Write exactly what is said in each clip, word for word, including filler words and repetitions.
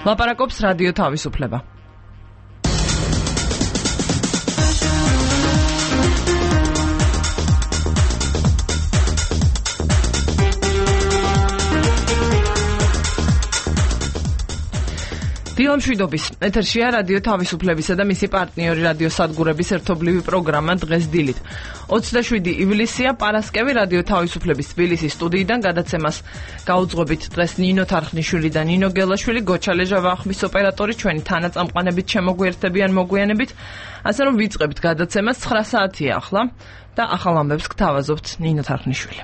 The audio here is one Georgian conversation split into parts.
ლაპარაკობს რადიო თავისუფლება. დილა მშვიდობის. ეთერშია რადიო თავისუფლებისა და მისი პარტნიორი რადიო სადგურების ერთობლივი პროგრამა დღეს დილით. ოცდაშვიდი ივლისია, პარასკევი რადიო თავისუფლების თბილისის სტუდიიდან გადაცემას გაუძღვებით დღეს ნინო თარხნიშვილი და ნინო გელაშვილი, გოჩალე ჟავახმის ოპერატორი, ჩვენი თანაწამყვანებით შემოგვიერთებიან მოგვიანებით, ასე რომ ვიწყებთ გადაცემას. ცხრა საათია ახლა და ახალ ამბებს გთავაზობთ ნინო თარხნიშვილი.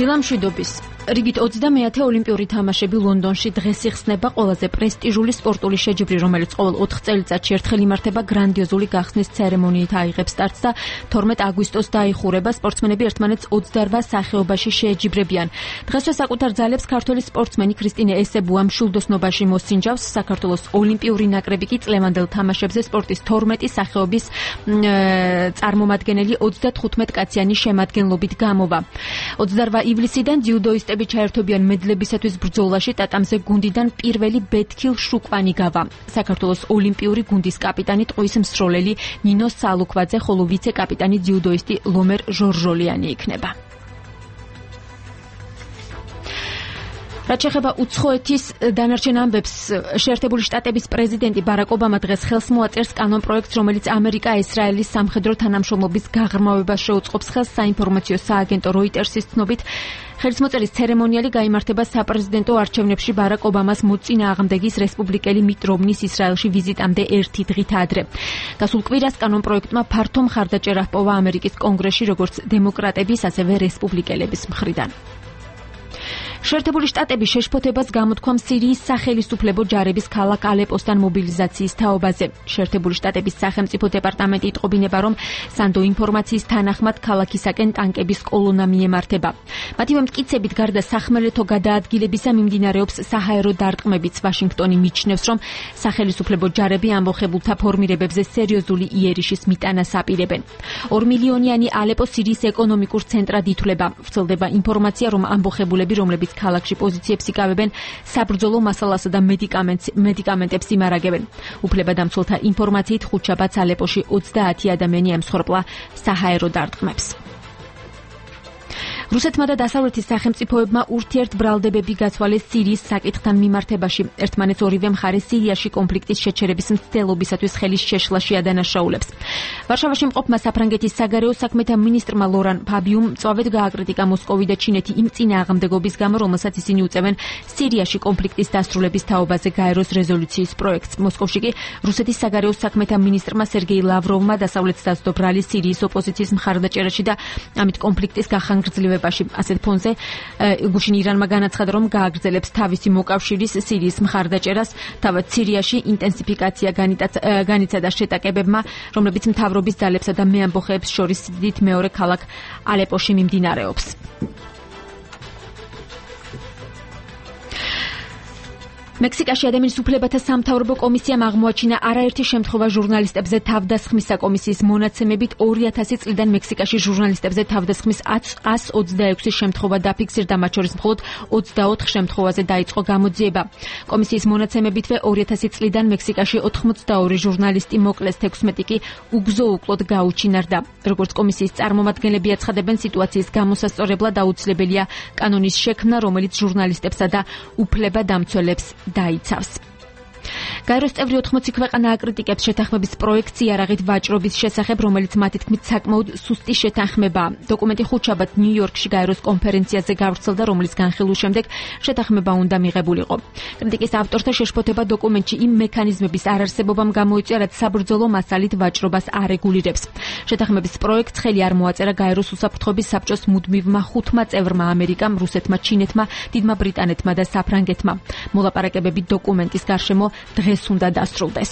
დილა მშვიდობის. რიგით ოცდამეათე ოლიმპიური თამაშები ლონდონში დღეს იხსნება, ყველაზე პრესტიჟული სპორტული შეჯიბრი, რომელიც ყოველ ოთხ წელიწადში ერთხელ იმართება, გრანდიოზული გახსნის ცერემონიით აიღებს სტარტს და თორმეტ აგვისტოს დაიხურება. სპორტსმენები ერთმანეთს ოცდარვა სახეობაში შეეჯიბრებიან. დღესვე საკუთარ ძალებს ქართველი სპორტსმენი ქრისტინე ესებუა მშვილდოსნობაში მოსინჯავს. საქართველოს ოლიმპიური ნაკრები კი წლევანდელ თამაშებზე სპორტის თორმეტი სახეობის წარმომადგენელი ოცდათხუთმეტკაციანი შემადგენლობით გამოვა. ოცდარვა ივლისიდან ძიუდოისტები ჩაერთობიან მედლებისათვის ბრძოლაში. ტატამზე გუნდიდან პირველი ბეთქილ შუკვანი გავა. საქართველოს ოლიმპიური გუნდის კაპიტანი ტყუის მსროლელი ნინო სალუქვაძე, ხოლო ვიცე-კაპიტანი ძიუდოისტი ლომერ ჟორჟოლიანი იქნება. რაც შეეხება უცხოეთის დანარჩენ ამბებს, შეერთებული შტატების პრეზიდენტი ბარაკ ობამა დღეს ხელს მოაწერს კანონპროექტს, რომელიც ამერიკა-ისრაელის სამხედრო თანამშრომლობის გაღრმავებას შეუწყობს ხელს. საინფორმაციო სააგენტო როიტერსის ცნობით, ხელისმოწერის ცერემონიალი გაიმართება საპრეზიდენტო არჩევნებში ბარაკ ობამას მოწინააღმდეგის რესპუბლიკელი მიტ რომნის ისრაელში ვიზიტამდე ერთი დღით ადრე. გასულ კვირას კანონპროექტმა ფართო მხარდაჭერა ჰპოვა ამერიკის კონგრესში, როგორც დემოკრატების, ასევე რესპუბლიკელების მხრიდან. შეერთებული შტატები შეშფოთებას გამოთქვამ სირიის სახელისუფლებო ჯარების ქალაქ ალეპოსთან მობილიზაციის თაობაზე. შეერთებული შტატების სახელმწიფო დეპარტამენტი იტყობინება, რომ სანდო ინფორმაციის თანახმად ქალაქისაკენ ტანკების კოლონა მიემართება. მათივე მტკიცებით, გარდა სახმელეთო გადაადგილებისა მიმდინარეობს საჰაერო დარტყმებიც. ვაშინგტონი მიჩნევს, რომ სახელისუფლებო ჯარები ამბოხებულთა ფორმირებებზე სერიოზული იერიშის მიტანას აპირებენ. ორ მილიონიანი ალეპო სირიის ეკონომიკურ ცენტრად ითვლება. ვრცელდება ინფორმაცია, რომ ამბოხებულები, რომლებიც ქალაქში პოზიციებს იკავებენ, საბრძოლო მასალასა და მედიკამენტებს იმარაგებენ. უფლებადამცველთა ინფორმაციით ხუთშაბათს ალეპოში ოცდაათი ადამიანი ემსხვერპლა საჰაერო დარტყმებს. რუსეთმა და დასავლეთის სახელმწიფოებმა ურთიერთბრალდებები გაცვალეს სირიის საკითხთან მიმართებაში. ერთმანეთს ორივე მხარე სირიაში კონფლიქტის შეჩერების მცდელობისათვის ხელის შეშლაში ადანაშაულებს. ვარშავაში მყოფმა საფრანგეთის საგარეო საქმეთა მინისტრმა ლორან ფაბიუმ მწვავედ გააკრიტიკა მოსკოვი და ჩინეთი იმ წინააღმდეგობის გამო, რომელსაც ისინი უწევენ სირიაში კონფლიქტის დასრულების თაობაზე გაეროს რეზოლუციის პროექტს. მოსკოვში კი რუსეთის საგარეო საქმეთა მინისტრმა სერგეი ლავროვმა დასავლეთს დაძდო ბრალი სირიის ოპოზიციის მხარდაჭერაში და ამით კონფლიქტის გახანგრძლივებაში. ასეთ ფონზე გუშინ ირანმა განაცხადა, რომ გააგრძელებს თავისი მოკავშირის სირიის მხარდაჭერას. თავად სირიაში ინტენსიფიკაცია განიცადა შეტაკებებმა, რომლებიც მთავრობის ძალებსა და მეამბოხეებს შორის სიდიდით მეორე ქალაქ ალეპოში მიმდინარეობს. მექსიკაში ადამიანის უფლებათა სამთავრობო კომისიამ აღმოაჩინა არაერთი შემთხვევა ჟურნალისტებზე თავდასხმის. კომისიის მონაცემებით ორი ათასი წლიდან მექსიკაში ჟურნალისტებზე თავდასხმის ათს ოცდაექვსი შემთხვევა დაფიქსირდა, მათ შორის მხოლოდ ოცდაოთხ შემთხვევაზე დაიწყო გამოძიება. კომისიის მონაცემებითვე ორი ათასი წლიდან მექსიკაში ოთხმოცდაორი ჟურნალისტი მოკლეს, თექვსმეტი კი უგზო-უკლოდ გაუჩინარდა. როგორც კომისიის წარმომადგენლები აცხადებენ, სიტუაციის გამოსასწორებლად აუცილებელია კანონის შექმნა, რომელიც ჟურნალისტებსა და უფლებადამცველებს დაიცავს. გაეროს წევრი ოთხმოცი ქვეყანა აკრიტიკებს შეთანხმების პროექტს იარაღით ვაჭრობის შესახებ, რომელიც მათი თქმით საკმაოდ სუსტი შეთანხმებაა. დოკუმენტი ხუთშაბათ ნიუ-იორკში გაეროს კონფერენციაზე გავრცელდა, რომლის განხილვის შემდეგ შეთანხმება უნდა მიღებულიყო. კრიტიკის ავტორთა შეშფოთება დოკუმენტში იმ მექანიზმების არარსებობამ გამოიწვია, რაც საბრძოლო მასალით ვაჭრობას არეგულირებს. შეთანხმების პროექტს ხელი არ მოაწერა გაეროს უსაფრთხოების საბჭოს მუდმივმა ხუთმა წევრმა: ამერიკამ, რუსეთმა, ჩინეთმა, დიდმა ბრიტანეთმა და საფრანგეთმა. მოლაპარაკებები დოკუმენტის გარშემო დღეს უნდა დასრულდეს.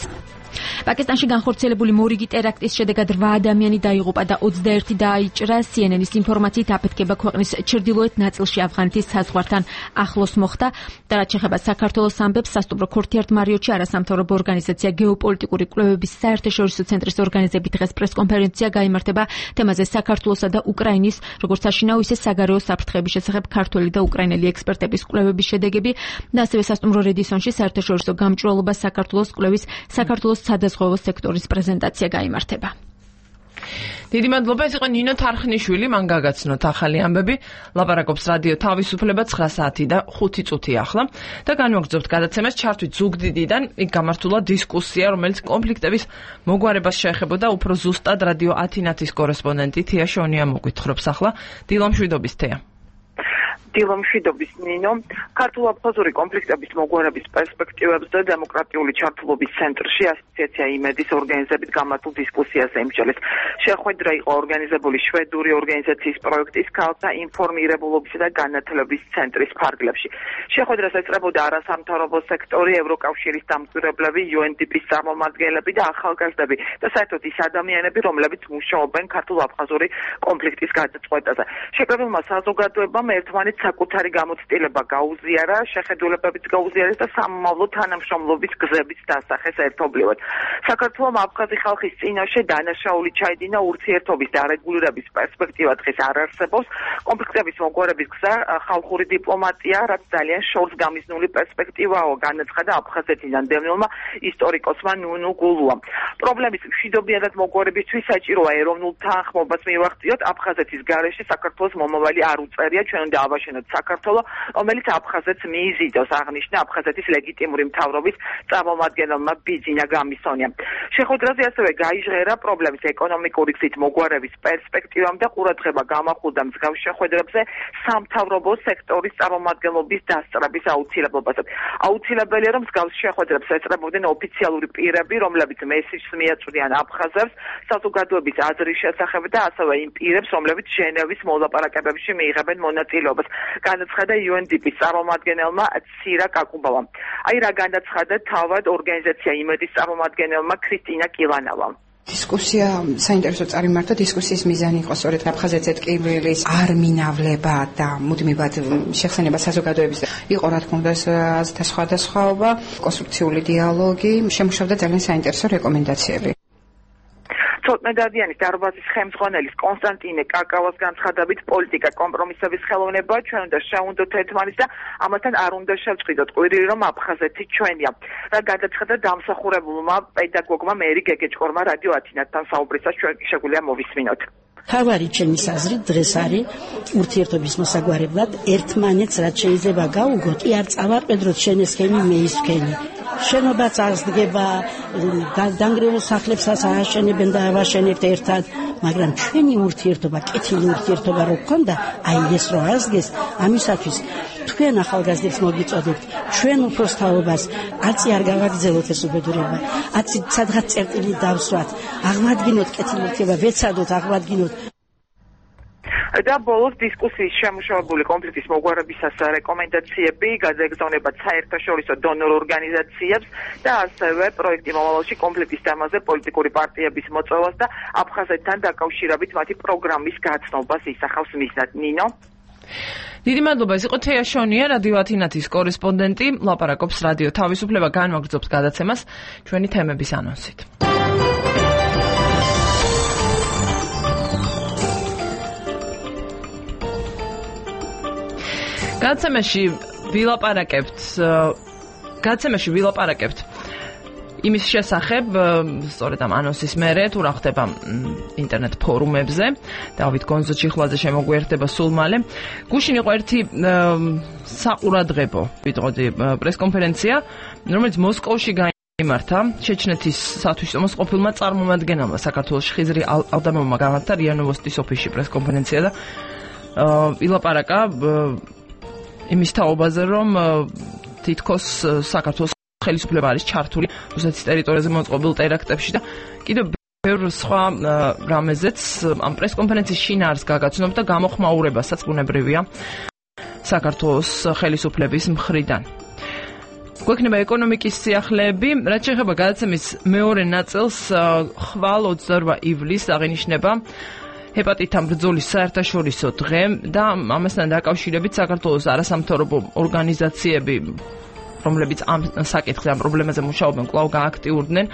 პაკისტანში განხორციელებული მორიგი ტერაქტის შედეგად რვა ადამიანი დაიღუპა და ოცდაერთი დააიჭრა. სი ენ ენის ინფორმაციით აფეთქება ქვეყნის ჩრდილოეთ ნაწილში ავღანეთის საზღვართან ახლოს მოხდა და რაც შეეხება საქართველოს ამბებს, სასტუმრო ქორთიართ მარიოტში არასამთავრობო ორგანიზაცია გეოპოლიტიკური კვლევების საერთაშორისო ცენტრის ორგანიზებით დღეს პრესკონფერენცია გაიმართება თემაზე საქართველოსა და უკრაინის როგორც საშინაო ისე საგარეო საფრთხეების შესახებ ქართველი და უკრაინელი ექსპერტების კვლევების შედეგები და ასევე სასტუმრო რედისონში საერთაშორისო გამჭვირვალობა საქართველოს კვლევის საქართველოს სადაზღვევო სექტორის პრეზენტაცია გაიმართება. დიდი მადლობა, ეს იყო ნინო თარხნიშვილი, მან გაგაცნოთ ახალი ამბები. ლაპარაკობს რადიო თავისუფლება ცხრა საათი და ხუთი წუთი ახლა და განვაგრძობთ გადაცემას ჩართვით ზუგდიდიდან. იქ გამართულა დისკუსია, რომელიც კონფლიქტების მოგვარებას შეეხებოდა. უფრო ზუსტად რადიო ათინათის კორესპონდენტი თეა შონია მოგვითხრობს ახლა. დილამშვიდობის თეა. დილამშვიდობის ნინო. ქართულ-აფხაზური კონფლიქტების მოგვარების პერსპექტივებს და დემოკრატიული ჩართულობის ცენტრში ასოციაცია იმედის ორგანიზებით გამართულ დისკუსიას ემსჯელეს. შეხვედრა იყო ორგანიზებული შვედური ორგანიზაციის პროექტის ქალთა ინფორმირებულობისა და განათლების ცენტრის ფარგლებში. შეხვედრას ეწრებოდა არასამთავრობო სექტორი, ევროკავშირის დამკვირვებლები, იუ ენ დი პის წარმომადგენლები და ახალგაზრდები და საერთოდ ის ადამიანები, რომლებიც მუშაობენ ქართულ-აფხაზური კონფლიქტის გადაწყვეტაზე. შეკრებილმა საზოგადოებამ ერთმანეთს საკუთარი გამოცდილება გაუზიარა, შეხედულებებით გაუზიარეს და სამომავლო თანამშრომლობის გზების დასახეს ერთობლივად. საქართველომ აფხაზი ხალხის წინაშე დანაშაული ჩაიდინა, ურთიერთობის დარეგულირების პერსპექტივა დღეს არ არსებობს. კონფლიქტების მოგვარების გზა ხალხური დიპლომატია, რაც ძალიან შორს გამიზნული პერსპექტივაა, განაცხადა აფხაზეთიდან დევნილმა ისტორიკოსმა ნუნუ გულუამ. პრობლემის მშვიდობიანად მოგვარებისთვის საჭიროა ეროვნულ თანხმობას მივახციოთ. აფხაზეთის გარეშე საქართველოს მომავალი არ უწერია, ჩვენ უნდა ავაშენოთ საქართველო, რომელიც აფხაზეთს მიიზიდოს, აღნიშნა აფხაზეთის ლეგიტიმური მთავრობის წარმომადგენელმა ბიძინა გამისონიამ. შეხვედრაზე ასევე გაიჟღერა პრობლემის ეკონომიკური გზით მოგვარების პერსპექტივამ და ყურადღება გამახვილდა მსგავს შეხვედრებზე სამთავრობო სექტორის წარმომადგენლობის დასწრების აუცილებლობაზე. აუცილებელია, რომ მსგავს შეხვედრებს ეწრებოდნენ ოფიციალური პირები, რომლებიც მესიჯს მიაწვდიან აფხაზებს საზოგადოების აზრის შესახებ და ასევე იმ პირებს, რომლებიც ჟენევის მოლაპარაკებებში მიიღებენ მონაწილეობას. განაცხადა იუ ენ დი პის წარმომადგენელმა ცირა კაკუბავამ. აი რა განაცხადა თავად ორგანიზაცია იმედის წარმომადგენელმა ქრისტინა კილანავამ. დისკუსია საინტერესო წარიმართა. დისკუსიის მიზანი იყო სწორედ აფხაზეთზე ტკივილის არ მინავლება და მუდმივად შეხსენება საზოგადოების. იყო რა თქმა უნდა აზრთა სხვადასხვაობა, კონსტრუქციული დიალოგი, შემუშავდა ძალიან საინტერესო რეკომენდაციები. ცოტნედადიანის დარბაზის ხელმძღვანელის კონსტანტინე კაკავას განცხადებით პოლიტიკა კომპრომისების ხელოვნება, ჩვენ უნდა შევუნდოთ ერთმანეთს და ამასთან არ უნდა შევწყიდოთ ყვირილი, რომ აფხაზეთი ჩვენია. რა გადაცხადა დამსახურებულმა პედაგოგმა მერი გეგეჭკორმა რადიო ათინათთან საუბრისას, ჩვენ შეგვიძლია მოვისმინოთ. თავარი ჩემის აზრით დღეს არის ურთიერთობის მოსაგვარებლად ერთმანეთს რაც შეიძლება გაუგოთ, კი არ წავარყედროთ შენ ეს ხენი მე ის ხენი. შენობა წარსდგება, დანგრეულ სახლებსაც ააშენებენ და ავაშენებთ ერთად, მაგრამ ჩვენი ურთიერთობა, კეთილი ურთიერთობა რო გქონდა, აი ეს რო აღსდგეს, ამისათვის თქვენ ახალგაზრდებს მოგიწოდებთ, ჩვენ უფროსთაობას, აცი არ გავაგრძელოთ ეს უბედურება, აცი სადღაც წერტილი დავსვათ, აღმადგინოთ კეთილი ურთიერთობა, ვეცადოთ აღმადგინოთ. და ბოლოს დისკუსიის შემუშავებული კონფლიქტის მოგვარებისას რეკომენდაციები გადაეგზავნებათ საერთაშორისო დონორ ორგანიზაციებს და ასევე პროექტი მომავალში კონფლიქტის თემაზე პოლიტიკური პარტიების მოწვევას და აფხაზეთთან დაკავშირებით მათი პროგრამის გაცნობას ისახავს მიზნად. ნინო. დიდი მადლობა, ეს იყო თეა შონია, რადიო ათინათის კორესპონდენტი, ლაპარაკობს რადიო თავისუფლება, განვაგრძობს გადაცემას ჩვენი თემების ანონსით. გადაცემაში ვილაპარაკებთ გადაცემაში ვილაპარაკებთ იმის შესახებ, სწორედ ამ ანონსის მერე, თუ რა ხდება ინტერნეტ ფორუმებზე, დავით გონზო-ჩიხლაძე შემოგვიერთდება სულ მალე. გუშინ იყო ერთი საყურადღებო, ვიტყოდი, პრესკონფერენცია, რომელიც მოსკოვში გაიმართა, ჩეჩნეთის სათვისტომოს ყოფილმა წარმომადგენელმა საქართველოში ხიზრი ალდამოვმა გამართა რია ნოვოსტის ოფისში პრესკონფერენცია და ვილაპარაკა იმის თაობაზე, რომ თითქოს საქართველოს ხელისუფლება არის ჩართული რუსეთის ტერიტორიაზე მოწყობილ ტერაქტებში და კიდევ ბევრ სხვა რამეზეც ამ პრესკონფერენციის შინაარს გაგაცნობ და გამოხმაურებასაც ბუნებრივია საქართველოს ხელისუფლების მხრიდან. გვექნება ეკონომიკის სიახლეები, რაც შეეხება გადაცემის მეორე ნაწილს, ხვალ ოცდაორმა ივლისს აღინიშნება ჰეპატიტთან ბრძოლის საერთაშორისო დღე და ამასთან დაკავშირებით საქართველოს არასამთავრობო ორგანიზაციები, რომლებიც ამ საკითხზე, ამ პრობლემაზე მუშაობენ, კვლავ გააქტიურდნენ.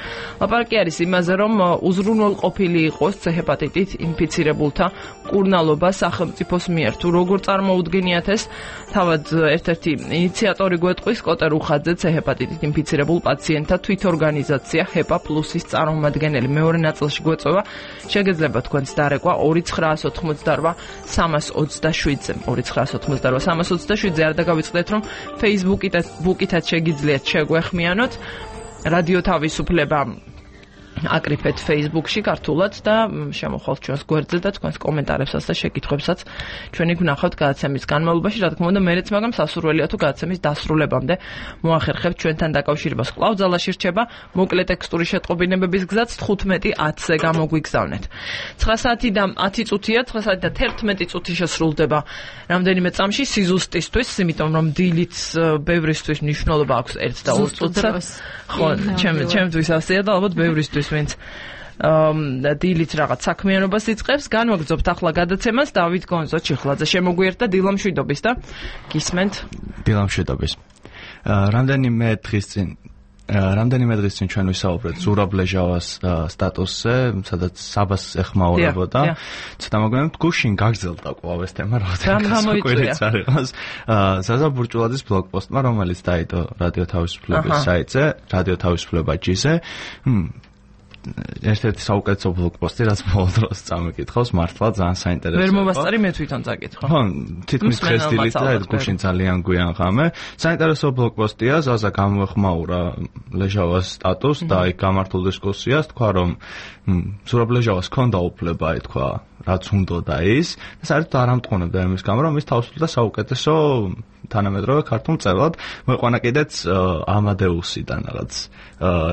ლაპარაკი არის იმაზე, რომ უზრუნველყოფილი იყოს ჰეპატიტით ინფიცირებულთა მკურნალობა სახელმწიფოს მიერ. თუ როგორ წარმოუდგენიათ ეს, თავად ერთ-ერთი ინიციატორი გვეტყვის კოტე რუხაძე, ჰეპატიტით ინფიცირებულ პაციენტთა თვითორგანიზაცია ჰეპა პლუსის წარმომადგენელი. მეორე ნაწილში გვეწევა შეგეძლება თქვენს დარეკვა ორი ცხრაას ოცდაორმა სამას ოცდაშვიდზე. ორი ცხრაას ოცდაორმა სამას ოცდაშვიდზე არ დაგავიწყდეთ, რომ Facebook-ით შეგიძლიათ შეგვეხმიანოთ რადიო თავისუფლება აკრიფეთ Facebook-ში ქართულად და შემოხვალთ ჩვენს გვერდზე და თქვენს კომენტარებსაც და შეკითხვებსაც ჩვენი გვნახავთ გადაცემის განმავლობაში. რა თქმა უნდა, მეც მაგამ სასურველია თუ გადაცემის დასრულებამდე მოახერხებთ ჩვენთან დაკავშირებას. კვლავ ძალაში რჩება მოკლე ტექსტური შეტყობინებების გზაც თხუთმეტი ათზე გამოგვიგზავნეთ. ცხრა საათი და ათი წუთია, ცხრა საათი და თერთმეტი წუთი შესრულდება რამდენიმე წამში სიზუსტისთვის, იმიტომ რომ დილით ბევრისთვის მნიშვნელობა აქვს ერთ და ორ წუთს. ხო, ჩემთვის ასეა და ალბათ ბევრისთვის ვინც დილით რაღაც საქმიანობას იწყებს. განვაგრძობთ ახლა გადაცემას დავით გონზო ჩიხლაძე შემოგვიერთდა დილამშვიდობის და გისმენთ დილამშვიდობის. რამდენიმე დღის წინ რამდენიმე დღის წინ ჩვენ ვისაუბრეთ ზურაბ ლეჟავას სტატუსზე, სადაც საბას ეხმაურებოდა. ცოტა მოგვიანებით გუშინ გაგრძელდა კვლავ ეს თემა, რაღაცა არ იყოს. ზაზა ბურჭულაძის ბლოგპოსტმა, რომელიც დაიდო რადიო თავისუფლების საიტზე, რადიო თავისუფლება.js-ზე, ერთ-ერთი საუკეთესო ბლოგპოსტი, რაც ბოლო დროს წამიკითხავს, მართლა ძალიან საინტერესოა. ვერ მოვასწარი, მე თვითონ წაკითხო. ხო, თითქმის დღეს დილით და ეს გუშინ ძალიან გვიან ღამე. საინტერესო ბლოგპოსტია, ზაზა გამოეხმაურა ლეჟავას სტატუსს და იქ გამართულ დისკუსიას, თქვა რომ ზურაბ ლეჟავას ჰქონდა უფლება, ითქვა, რაც უნდოდა ის, და საერთოდ არ ამტყუნებდა იმის გამო, რომ ის თავს უსვამდა საუკეთესო თანამედროვე ქართულ მწერლად. მოიყვანა კიდეც ამადეუსიდან რაღაც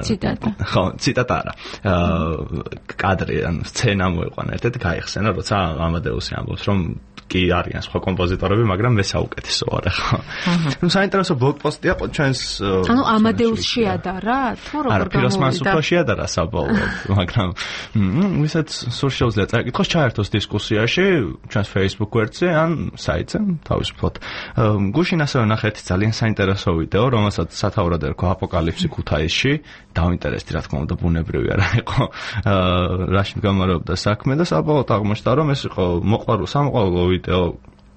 ციტატა. ხო, ციტატა არა. კადრი, ანუ სცენა მოიყვანა ერთ-ერთი გაიხსენა, როცა ამადეუსი ამბობს, რომ კი არიან სხვა კომპოზიტორები, მაგრამ მე საუკეთესო ვარ ხო. ნუ საინტერესო ბლოგპოსტია ჩვენს ანუ ამადეუსს შეადარა, თუ როგორ გამოვიდა? არა, ფიროსმანს უფრო შეადარა საბოლოოდ, მაგრამ ვისაც სულ შეუძლია წაიკითხოს, ჩაერთოს დისკუსიაში ჩვენს Facebook გვერდზე ან საიტზე თავისუფლად. გუშინ ასევე ნახეთ ძალიან საინტერესო ვიდეო, რომელსაც სათაურად ერქვა აპოკალიფსი ქუთაისში. დაინტერესდი, რა თქმა უნდა, ბუნებრივი არა იყო რაში გამარობდა საქმე და საბოლოოდ აღმოჩნდა, რომ ეს იყო მოყვარულ სამოყვარულო ვიდეო,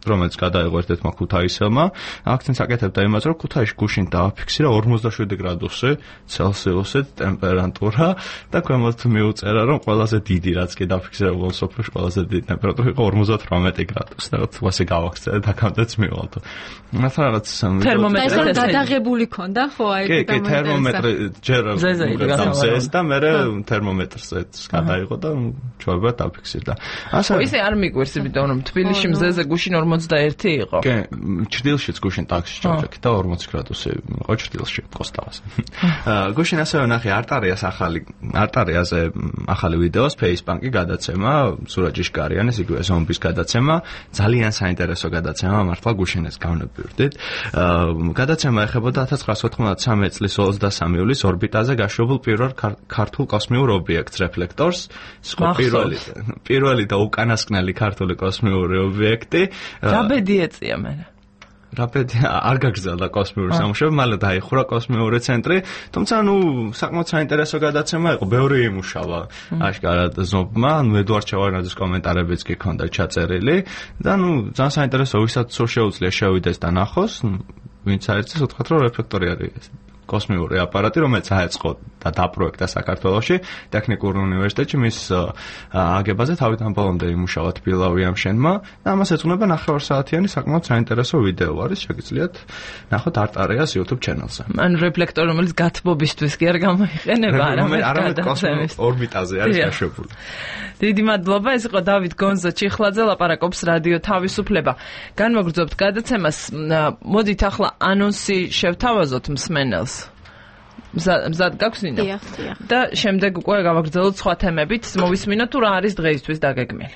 რომელიც გადაიღო ერთ-ერთმა ქუთაისელმა. აქცენტს აკეთებდა იმაზე, რომ ქუთაისში გუშინ დააფიქსირა ორმოცდაშვიდი გრადუსი ცელსიუსით ტემპერატურა და ქვემოთ მიუწერა, რომ ყველაზე დიდი რაც კი დაფიქსირებულ სოფელში ყველაზე დიდი ტემპერატურა იყო ორმოცდათვრამეტი გრადუსი. და თვასე გავახსენე და კამდეც მივალთო. მართლა რაღაც თერმომეტრი გადაღებული ქონდა, ხო, აი კი, კი, თერმომეტრი ჯერ ზეზეს და მე თერმომეტრზეც გადაიღო და ჩვეულებრივ დაფიქსირდა. ასე ისე არ მიგვერს, იმიტომ რომ თბილისში მზეზე გუშინ ორმოცდაერთი იყო. კი, ჩრდილშიც გუშინ ტაქსში ჩავჭექი და ორმოცი გრადუსი იყო ჩრდილში კოსტავას. გუშინ ასევე ნახე არტარიას ახალი არტარიაზე ახალი ვიდეოს ფეისბანკი გადაცემა, სურაჯიშკარიანის იგივე ზომბის გადაცემა, ძალიან საინტერესო გადაცემა, მართლა გუშინ ეს გავნებივდით. გადაცემა ეხებოდა ათას ცხრაას ოთხმოცდასამი წლის ოცდასამი ივლისს ორბიტაზე გაშვებულ პირველ ქართულ კოსმიურ ობიექტს რეფლექტორს, პირველი პირველი და უკანასკნელი ქართული კოსმიური ობიექტი. რა ბედი ეწია მე? რა ბედი არ გაგრძელდა კოსმიური სამუშაო, მალე დაიხურა კოსმიური ცენტრი, თუმცა ნუ საკმაოდ საინტერესო გადაცემა იყო, ბევრი იმუშავა აშკარად ზომბმა, ანუ ედუარდ ჩავარნაძის კომენტარებიც კი ჰქონდა ჩაწერილი და ნუ ძალიან საინტერესო, ვისაც სულ შეუძლია შევიდეს და ნახოს, ვინც აერწეს უთხრათ, რომ რეფლექტორი არის კოსმიური აპარატი, რომელიც აეწყო და დაპროექტა საქართველოში ტექნიკურ უნივერსიტეტში, მის აგებაზე თავიდან ბოლომდე იმუშავა თბილავი ამშენმა და ამას ეძღვნება ნახევარსაათიანი საკმაოდ საინტერესო ვიდეო არის, შეგიძლიათ ნახოთ არტარიას YouTube channel-ზე. ან რეფლექტორი, რომელიც გათბობისთვის კი არ გამოიყენება, არამედ კოსმოს ორბიტაზე არის გაშვებული. დიდი მადლობა, ეს იყო დავით გონზო ჩიხლაძე, ლაპარაკობს რადიო თავისუფლება. განვაგრძობთ გადაცემას, მოდით ახლა ანონსი შევთავაზოთ მსმენელს. მზად გაქვს ნინო? დიახ, დიახ. და შემდეგ უკვე გავაგრძელოთ სხვა თემებით, მოვისმინოთ თუ რა არის დღეისთვის დაგეგმილი.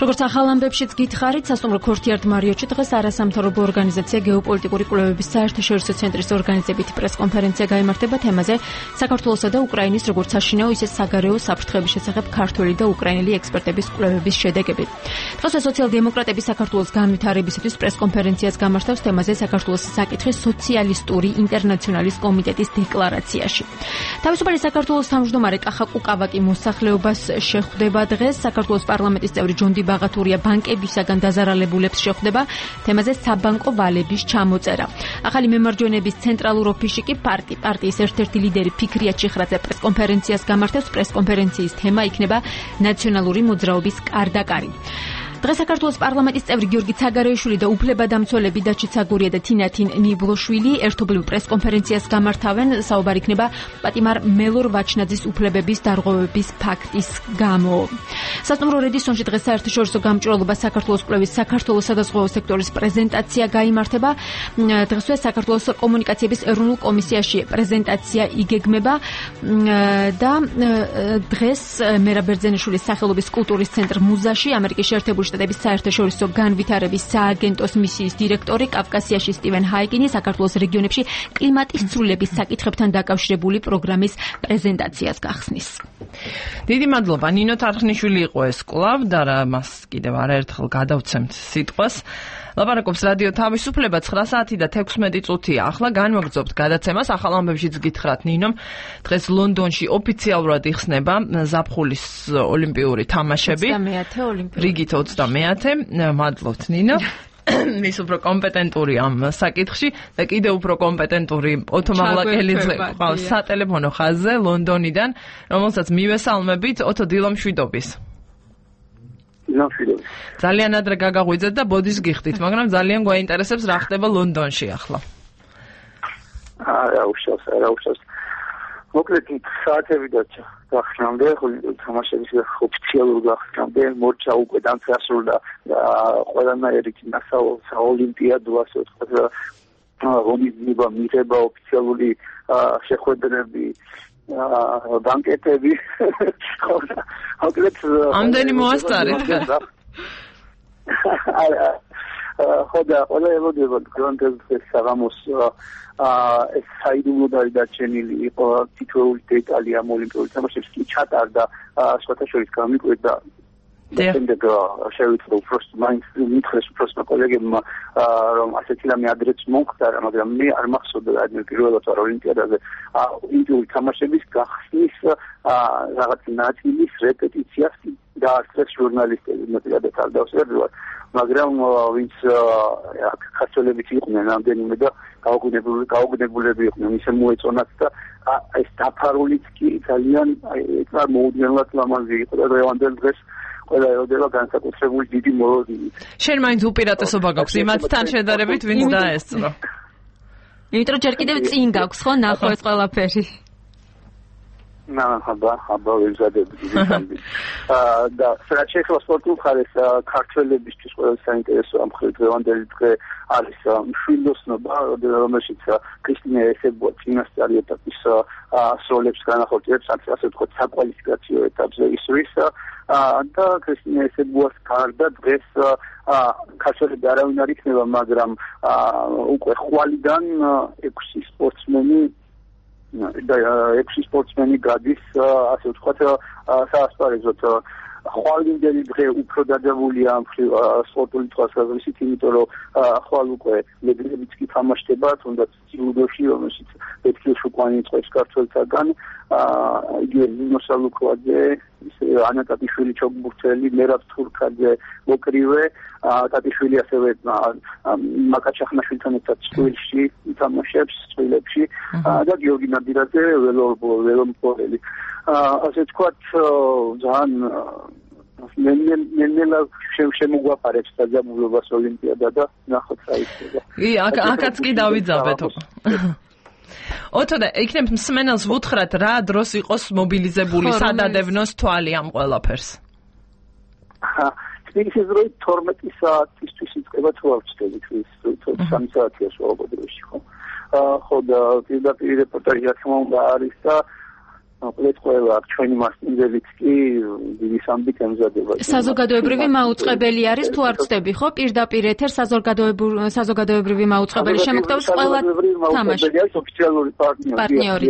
როგორც ახალ ამბებშიც გითხარით, სასტუმრო ქორთიარდ მარიოტში დღეს არასამთავრობო ორგანიზაცია გეოპოლიტიკური კვლევების საერთაშორისო ცენტრის ორგანიზებით პრესკონფერენცია გაიმართება თემაზე საქართველოსა და უკრაინის როგორც საშინაო, ისე საგარეო საფრთხეების შესახებ ქართული და უკრაინელი ექსპერტების კვლევების შედეგები. დღესვე სოციალ-დემოკრატების საქართველოს განვითარებისათვის პრესკონფერენციას გამართავს თემაზე საქართველოს საკითხის სოციალისტური ინტერნაციონალის კომიტეტის დეკლარაციაში. თავისუფალი საქართველოს თავმჯდომარე კახა კუკავაკი მოსახლეობას შეხვდება დღეს. საქართველოს პარლამენტის წევრი ჯონდი ბაღათურია ბანკებისაგან დაზარალებულებს შეხვდება თემაზე საბანკო ვალების ჩამოწერა. ახალი მემარჯვენეების ცენტრალურ ოფისში კი პარტი პარტიის ერთ-ერთი ლიდერი ფიქრია ჩიხრაძე პრესკონფერენციას გამართავს. პრესკონფერენციის თემა იქნება ნაციონალური მოძრაობის კარდაკარი. დღეს საქართველოს პარლამენტის წევრი გიორგი ცაგარეიშვილი და უფლებადამცველები დაჩი ცაგურია და თინათინ ნიბლოშვილი ერთობლივ პრესკონფერენციას გამართავენ. საუბარი იქნება პატიმარ მელორ ვაჩნაძის უფლებების დარღვევების ფაქტის გამო. სასტუმრო რედისონში დღეს საერთაშორისო გამჭვირვალობა საქართველოს კვლევის საქართველოს სადაზღვევო სექტორის პრეზენტაცია გაიმართება. დღესვე საქართველოს კომუნიკაციების ეროვნულ კომისიაში პრეზენტაცია იგეგმება და დღეს მერაბ ბერძენიშვილის სახელობის კულტურის ცენტრ მუზაში ამერიკის შეერთებული შტატების საერთაშორისო განვითარების სააგენტოს მისიის დირექტორი კავკასიაში სტივენ ჰაიგინი საქართველოს რეგიონებში კლიმატის ცვლილების საკითხებთან დაკავშირებული პროგრამის პრეზენტაციას გახსნის. დიდი მადლობა ნინო თარხნიშვილი იყო ეს კვლავ და რა მას კიდევ არაერთხელ გადავცემთ სიტყვას. ლაპარაკობს რადიო თავისუფლება ცხრა საათი და თექვსმეტი წუთია. ახლა განვაგრძობთ გადაცემას. ახალ ამბებშიც გითხრათ ნინომ. დღეს ლონდონში ოფიციალურად იხსნება ზაფხულის ოლიმპიური თამაშები. ოცდამეათე ოლიმპიური. რიგით ოცდამეათე. მადლობთ ნინო. ის უფრო კომპეტენტური ამ საკითხში და კიდევ უფრო კომპეტენტური ოთო მაღლაკელიძე ყავს სატელეფონო ხაზზე ლონდონიდან, რომელსაც მივესალმებით. ოთო, დილომშვიდობის. დილომშვიდობის. ძალიან ადრე გაგაღვიძეთ და ბოდის გიხდით, მაგრამ ძალიან გვაინტერესებს რა ხდება ლონდონში ახლა. არა, უშავს, არა, უშავს. მოკლედ საათები და გახსნამდე, თამაშების ოფიციალურ გახსნამდე მორჩა უკვე დამწესრულა და ყველანაირი საოლიმპიადო ასე ვთქვათ, ღონისძიება მიღება ოფიციალური შეხვედრები, ბანკეტები. მოკლედ ამდენი მოასწარეთ. ხოდა ყველა ელოდება გრანდეზეს საღამოს ეს საიდუმლო დარჩენილი იყო თითოეული დეტალი ამ ოლიმპიური თამაშებს კი ჩატარდა სხვათა შორის გამიკვირდა შემდეგ შევიწრო უბრალოდ მაინც მითხრეს უბრალოდ კოლეგებმა რომ ასეთი რამე ადრეც მომხდარა, მაგრამ მე არ მახსოვდა ადმე პირველად ვარ ოლიმპიადაზე ოლიმპიური თამაშების გახსნის რაღაც ნაწილის რეპეტიციას დაასწრეს ჟურნალისტები, მეტად არ დავსვერდივარ, მაგრამ ვინც ქართველებიც იყვნენ რამდენიმე და გაუგნებული გაუგნებულები იყვნენ, ისე მოეწონათ და ეს დაფარულიც კი ძალიან ეგ მოუდგენლად ლამაზი იყო და დღევანდელ დღეს ყველა ელოდება განსაკუთრებული დიდი მოლოდინით. შენ მაინც უპირატესობა გაქვს იმათთან შედარებით, ვინც დაესწრო. იმიტომ რომ ჯერ კიდევ წინ გაქვს ხო ნახო ეს ყველაფერი. ნა, ხაბა, ხაბა ვიზადები დიდი და ფრანჩესკო სპორტულ ხარეს ქართველებისთვის ყველა საინტერესო ამ დღევანდელი დღე არის მშვილდოსნობა, რომელშიც კრისტინა ესებო წინასწარი ეტაპის სროლებს განახორციელებს, ასე ვთქვათ, საკვალიფიკაციო ეტაპზე ისრის და კრისტინა ესებოას გარდა დღეს ქართველები არავინ არ იქნება, მაგრამ უკვე ხვალიდან ექვსი სპორტსმენი და ექვსი სპორტსმენი გადის, ასე ვთქვათ, საასპარეზოდ. ხვალინდელი დღე უფრო დაძაბულია ამ სპორტული თვალსაზრისით, იმიტომ რომ ხვალ უკვე ლეგენდებიც კი თამაშდება, თუნდაც ჯილდოში, რომელშიც ექვსი შუკვანი წვევს ქართველთაგან, იგივე ნინო სალუქვაძე, ანა ტატიშვილი ჩოგბურთელი, მერაბ თურქაძე მოკრივე, ტატიშვილი ასევე მაკა ჩახნაშვილთან ერთად წყვილში ითამაშებს, წყვილებში და გიორგი ნადირაძე ველომპორელი. ასე თქვათ, ძალიან ნელ-ნელა შემოგვაფარებს დაძაბულობას ოლიმპიადა და ნახოთ რა იქნება. კი, აქაც კი დავიძაბეთ. ოთო და იქნებ მსმენელს ვუთხრათ რა დროს იყოს მობილიზებული, სადადევნოს თვალი ამ ყველაფერს. ის რო თორმეტი საათისთვის იწყება თუ არ ვწდები ის სამი საათია სვაბოდოში ხო. ხო და პირდაპირ რეპორტაჟი რა თქმა უნდა არის და მოკლედ ყველა ჩვენი მასპინძელიც კი დიდი სამბით ემზადება. საზოგადოებრივი მაუწყებელი არის თუ არ ვწდები, ხო? პირდაპირ ეთერ საზოგადოებრივი მაუწყებელი შემოგდავს ყველა თამაში. ოფიციალური პარტნიორი.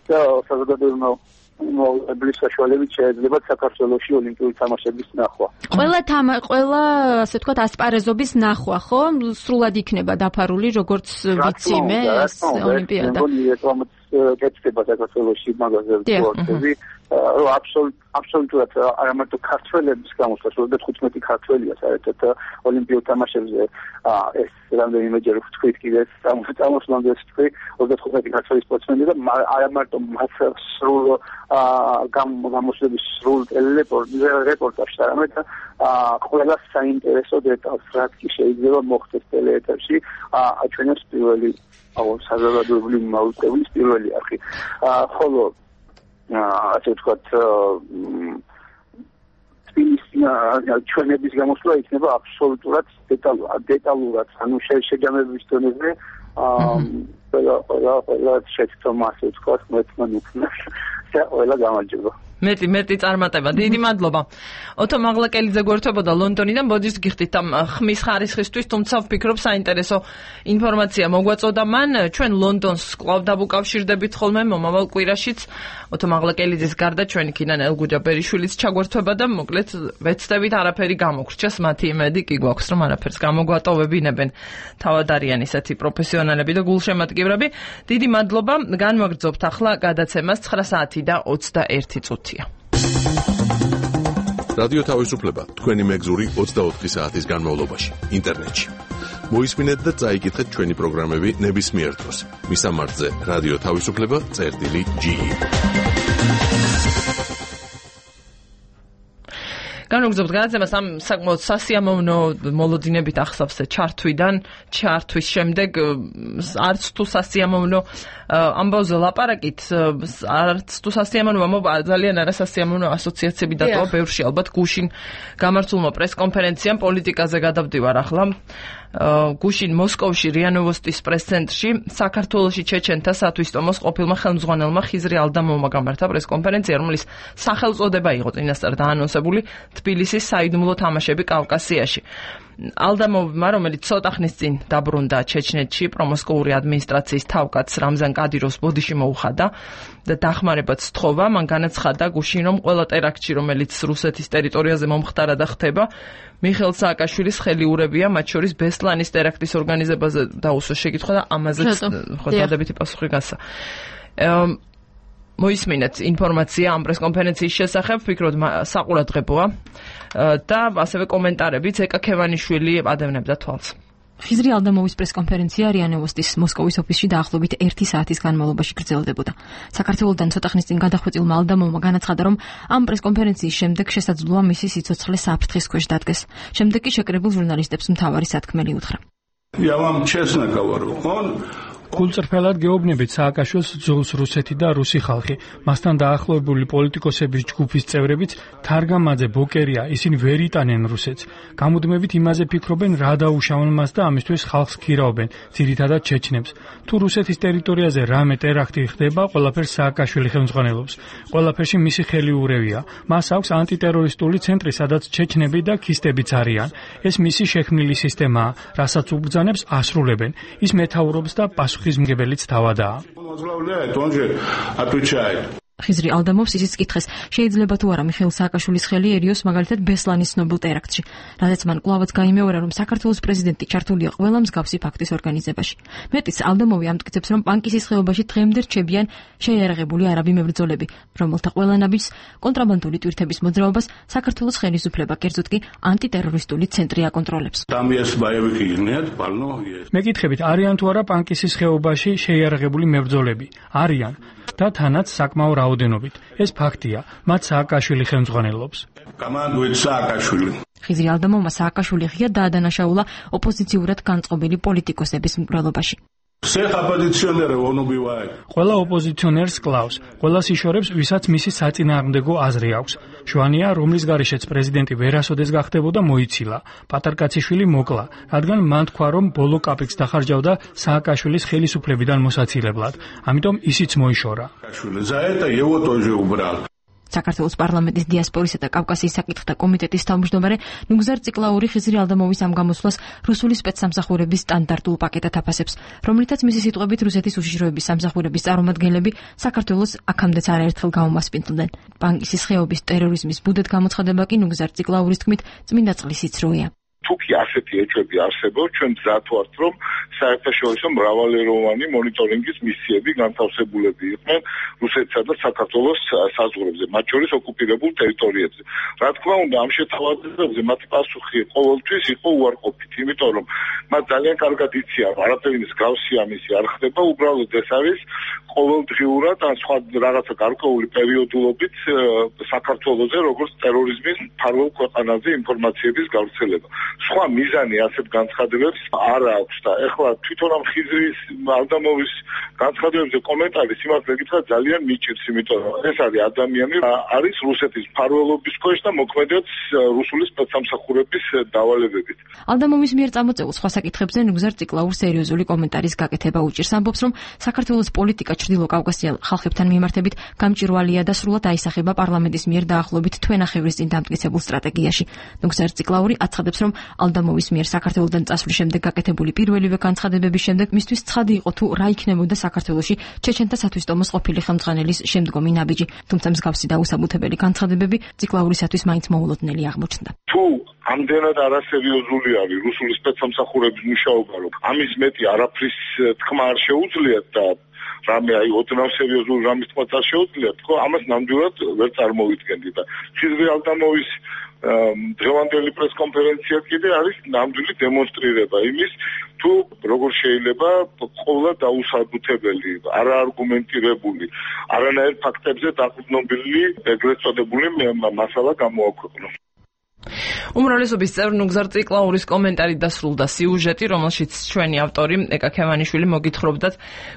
და საზოგადოებრივი მაუწყებლის საშუალებით შეიძლება საქართველოში ოლიმპიური თამაშების ნახვა. ყველა თამა, ყველა ასე ვთქვათ ასპარეზობის ნახვა, ხო? სრულად იქნება დაფარული როგორც ვიცი მე ეს ოლიმპიადა. კეთდება საქართველოში მაგაზე სპორტები, რომ აბსოლუტურად არა მარტო ქართველების გამოსვლა, ოცდახუთმეტი ქართველია საერთოდ ოლიმპიურ თამაშებზე ეს რამდენიმეჯერ ვთქვით კიდე წამოსვლამდე ვთქვი ოცდახუთმეტი ქართველი სპორტსმენი და არა მარტო მას სრულ გამოსვლების სრულ რეპორტაჟს, არამედ ყველა საინტერესო დეტალს, რაც კი შეიძლება მოხდეს ტელეეთერში, აჩვენებს პირველი აუ საზოგადოებრივი მაუწყებლის პირველი არხი. ხოლო ასე ვთქვათ ჩვენების გამოსვლა იქნება აბსოლუტურად დეტალურად, ანუ შეჯამების დონეზე ყველა ყველა ყველა შეცდომა ასე ვთქვათ მოეწმან იქნას და ყველა გამარჯობა. მეტი მეტი წარმატება. დიდი მადლობა. ოთო მაღლაკელიძე გვერდებოდა ლონდონიდან, ბოდიშს გიხდით ამ ხმის ხარისხისთვის, თუმცა ვფიქრობ საინტერესო ინფორმაცია მოგვაწოდა მან. ჩვენ ლონდონს კვლავ დავუკავშირდებით ხოლმე მომავალ კვირაშიც. ოთო მაღლაკელიძის გარდა ჩვენი კინან ელგუჯა ბერიშვილიც ჩაგვერთვება და მოკლედ ვეცდებით არაფერი გამოგრჩეს, მათი იმედი კი გვაქვს, რომ არაფერს გამოგვატოვებინებენ. თავად არიან ისეთი პროფესიონალები და გულშემატკივრები. დიდი მადლობა. განვაგრძობთ ახლა გადაცემას ცხრა საათი და ოცდაერთი წუთი. რადიო თავისუფლება თქვენი მეგზური ოცდაოთხი საათის განმავლობაში ინტერნეტში. მოისმინეთ და წაიკითხეთ ჩვენი პროგრამები ნებისმიერ დროს. მისამართზე რადიო თავისუფლება წერტილი ჯი. განვაგრძობთ გადაცემას ამ საკმაოდ სასიამოვნო მოლოდინებით ახსავს ჩართვიდან, ჩართვის შემდეგ არც თუ სასიამოვნო ამბავზე ლაპარაკით, არც თუ სასიამოვნო, ძალიან არასასიამოვნო ასოციაციები დატოვა ბევრში, ალბათ გუშინ გამართულმა პრესკონფერენციამ პოლიტიკაზე გადავდივარ ახლა. გუშინ მოსკოვში რია ნოვოსტის პრეს-ცენტრში საქართველოში ჩეჩენთა სათვისტომოს ყოფილმა ხელმძღვანელმა ხიზრი ალდამოვმა გამართა პრეს-კონფერენცია, რომლის სახელწოდება იყო წინასწარ დაანონსებული თბილისის საიდუმლო თამაშები კავკასიაში. ალდამოვმა, რომელიც ცოტა ხნის წინ დაბრუნდა ჩეჩნეთში, პრომოსკოვური ადმინისტრაციის თავკაცს რამზან კადიროვს ბოდიში მოუხადა და დახმარებაც სთხოვა. მან განაცხადა გუშინ, რომ ყველა ტერაქტში, რომელიც რუსეთის ტერიტორიაზე მომხდარა და ხდება, მიხეილ სააკაშვილის ხელიურებია, მათ შორის ბესლანის ტერაქტის ორგანიზებაზე დაუსვა შეკითხვა და ამაზეც ხო დადებითი პასუხი გასცა. მოისმინეთ ინფორმაცია ამ პრესკონფერენციის შესახებ, ვფიქრობ საყურადღებოა და ასევე კომენტარებიც ეკა ქევანიშვილი ადევნებდა თვალს. ხიზრი ალდამოვის პრესკონფერენცია რია ნოვოსტის მოსკოვის ოფისში დაახლოებით ერთი საათის განმავლობაში გრძელდებოდა. საქართველოსთან ცოტა ხნის წინ გადახვეწილმა ალდამოვმა განაცხადა, რომ ამ პრესკონფერენციის შემდეგ შესაძლოა მისი სიცოცხლე საფრთხის ქვეშ დადგეს. შემდეგ კი შეკრებილ ჟურნალისტებს მთავარი სათქმელი უთხრა. Я вам честно говорю, он გულწრფელად გეუბნებით სააკაშვილს ძულს რუსეთი და რუსი ხალხი. მასთან დაახლოებული პოლიტიკოსების ჯგუფის წევრებიც თარგამაძე, ბოკერია, ისინი ვერ იტანენ რუსეთს. გამუდმებით იმაზე ფიქრობენ, რა დაუშავონ მას და ამისთვის ხალხს ქირაობენ, ძირითადად ჩეჩნებს. თუ რუსეთის ტერიტორიაზე რამე ტერაქტი ხდება, ყველაფერს სააკაშვილი ხელმძღვანელობს. ყველაფერში მისი ხელი ურევია. მას აქვს ანტიტერორისტული ცენტრი, სადაც ჩეჩნები და ქისტებიც არიან. ეს მისი შექმნილი სისტემაა, რასაც უბრძანებს ასრულებენ. ის მეთაურობს და პასუხ ხიზმგებელიც თავადაა. ხიზრი ალდამოვს ისიც კითხეს, შეიძლება თუ არა მიხეილ სააკაშვილის ხელი ერიოს მაგალითად ბესლანის ცნობილ ტერაქტში, რადგან მან კვლავაც გაიმეორა, რომ საქართველოს პრეზიდენტი ჩართულია ყველა მსგავსი ფაქტის ორგანიზებაში. მეტიც ალდამოვი ამტკიცებს, რომ პანკისის ხეობაში დღემდე რჩებიან შეიარაღებული არაბი მებრძოლები, რომელთა ყველანაირ კონტრაბანდული ტვირთების მოძრაობას საქართველოს ხელისუფლება, კერძოდ კი ანტიტერორისტული ცენტრი აკონტროლებს. მეკითხებით, არიან თუ არა პანკისის ხეობაში შეიარაღებული მებრძოლები? არიან და თანაც საკმაო რაოდენობით. ეს ფაქტია, მათ სააკაშვილი ხელმძღვანელობს. ხიზრი ალდამოვმა სააკაშვილი ღია დაადანაშაულა ოპოზიციურად განწყობილი პოლიტიკოსების მკვლელობაში. ყველა ოპოზიციონერს კლავს, ყველას იშორებს, ვისაც მისი საწინააღმდეგო აზრი აქვს. შვანია, რომლის გარეშეც პრეზიდენტი ვერასოდეს გახდებოდა, მოიცილა. პატარკაციშვილი მოკლა, რადგან მან თქვა, რომ ბოლო კაპიკს დახარჯავდა სააკაშვილის ხელისუფლებიდან მოსაცილებლად. ამიტომ ისიც მოიშორა. საქართველოს პარლამენტის დიასპორისა და კავკასიის საკითხთა კომიტეტის თავმჯდომარე ნუგზარ ციკლაური ხიზრი ალდამოვის ამ გამოსვლას რუსული სპეცსამსახურების სტანდარტულ პაკეტად აფასებს, რომლითაც მისი სიტყვებით რუსეთის უშიშროების სამსახურების წარმომადგენლები საქართველოს აქამდეც არაერთხელ გაუმასპინძლდნენ. ბანკის ხეობის ტერორიზმის ბუდეთ გამოცხადება კი ნუგზარ ციკლაურის თქმით წმინდა წყლის იცროია. თუკი ასეთი ეჭვები არსებობს, ჩვენ მზად ვართ, რომ საერთაშორისო მრავალეროვანი მონიტორინგის მისიები განთავსებულები იყვნენ რუსეთსა და საქართველოს საზღვრებზე, მათ შორის ოკუპირებულ ტერიტორიებზე. რა თქმა უნდა, ამ შეთავაზებებზე მათი პასუხი ყოველთვის იყო უარყოფით, იმიტომ რომ მათ ძალიან კარგად იციან, არაფერი მსგავსი ამისი არ ხდება, უბრალოდ ეს არის ყოველდღიურად ან სხვა რაღაცა გარკვეული პერიოდულობით საქართველოზე როგორც ტერორიზმის მფარველ ქვეყანაზე ინფორმაციების გავრცელება. სხვა მიზანი ასეთ განცხადებებს არ აქვს და ეხლა თვითონ ამ ხიზრის ალდამოვის განცხადებებზე კომენტარი სიმართლე გითხრათ ძალიან მიჭირს, იმიტომ რომ ეს არის ადამიანი, არის რუსეთის მფარველობის ქვეშ და მოქმედებს რუსული სპეცსამსახურების დავალებებით. ალდამოვის მიერ წამოწეულ სხვა საკითხებზე ნუგზარ ციკლაურს სერიოზული კომენტარის გაკეთება უჭირს. ამბობს, რომ საქართველოს პოლიტიკა ჩრდილო კავკასიელ ხალხებთან მიმართებით გამჭვირვალეა და სრულად აისახება პარლამენტის მიერ დაახლოებით თვენახევრის წინ დამტკიცებულ სტრატეგიაში. ნუგზარ ციკლაური აცხადებს, რომ ალდამოვის მიერ საქართველოსთან წასვლის შემდეგ გაკეთებული პირველივე განცხადებების შემდეგ მისთვის ცხადი იყო თუ რა იქნებოდა საქართველოში ჩეჩენთა სათვისტომოს ყოფილი ხელმძღვანელის შემდგომი ნაბიჯი, თუმცა მსგავსი და უსაბუთებელი განცხადებები ციკლაურისათვის მაინც მოულოდნელი აღმოჩნდა. თუ ამდენად არასერიოზული არის რუსული სპეცსამსახურების მუშაობა, რომ ამის მეტი არაფრის თქმა არ შეუძლიათ და რამე აი ოდნავ სერიოზული რამის თქმა არ შეუძლიათ, ხო, ამას ნამდვილად ვერ წარმოვიდგენდი და ხიზრი ალდამოვის დღევანდელი პრესკონფერენცია კიდე არის ნამდვილი დემონსტრირება იმის, თუ როგორ შეიძლება ყოვლა დაუსაბუთებელი, არაარგუმენტირებული, არანაირ ფაქტებზე დაყრდნობილი ეგრეთ წოდებული მასალა გამოაქვეყნოს. უმრავლესობის წევრ ნუგზარ ციკლაურის კომენტარი დასრულდა სიუჟეტი, რომელშიც ჩვენი ავტორი ეკა ქევანიშვილი მოგითხრობდათ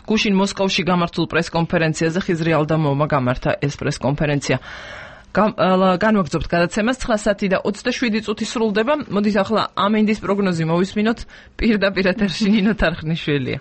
გუშინ მოსკოვში გამართულ პრესკონფერენციაზე ხიზრი ალდამოვმა გამართა ეს პრესკონფერენცია. განვაგრძობთ გადაცემას ცხრა საათი და ოცდაშვიდი წუთი სრულდება. მოდით ახლა ამინდის პროგნოზი მოვისმინოთ. პირდაპირ ეთერში ნინო თარხნიშვილია.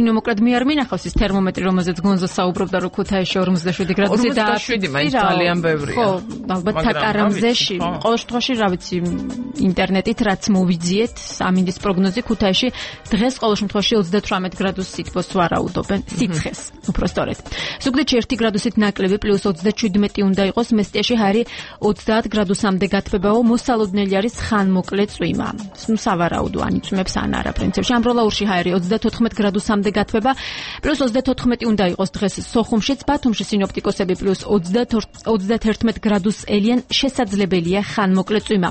ნუ მოკლედ მე არ მინახავს ის თერმომეტრი, რომელზეც გონზო საუბრობდა, რომ ქუთაისში ორმოცდაშვიდი გრადუსი და ორმოცდაშვიდი მაინც ძალიან ბევრია. ხო, ალბათ საკარამზეში, ყოველ შემთხვევაში, რა ვიცი, ინტერნეტით რაც მოვიძიეთ, ამინდის პროგნოზი ქუთაისში დღეს ყოველ შემთხვევაში ოცდათვრამეტ გრადუს სითბოს ვარაუდობენ, სიცხეს, უფრო სწორედ. ზუგდიდში ერთი გრადუსით ნაკლები პლუს ოცდაჩვიდმეტი უნდა იყოს, მესტიაში ჰარი ოცდაათ გრადუსამდე გათბებაო, მოსალოდნელი არის ხანმოკლე წვიმა. ნუ სავარაუდო ან იწვიმებს ან არა პრინციპში. ამბროლაურში ჰარი ოცდათოთხმეტ გრადუსამდე გათბება, პლუს ოცდათოთხმეტი უნდა იყოს დღეს სოხუმშიც, ბათუმში სინოპტიკოსები პლუს ოცდათერთმეტ გრადუსს ელიან, შესაძლებელია ხანმოკლე წვიმა.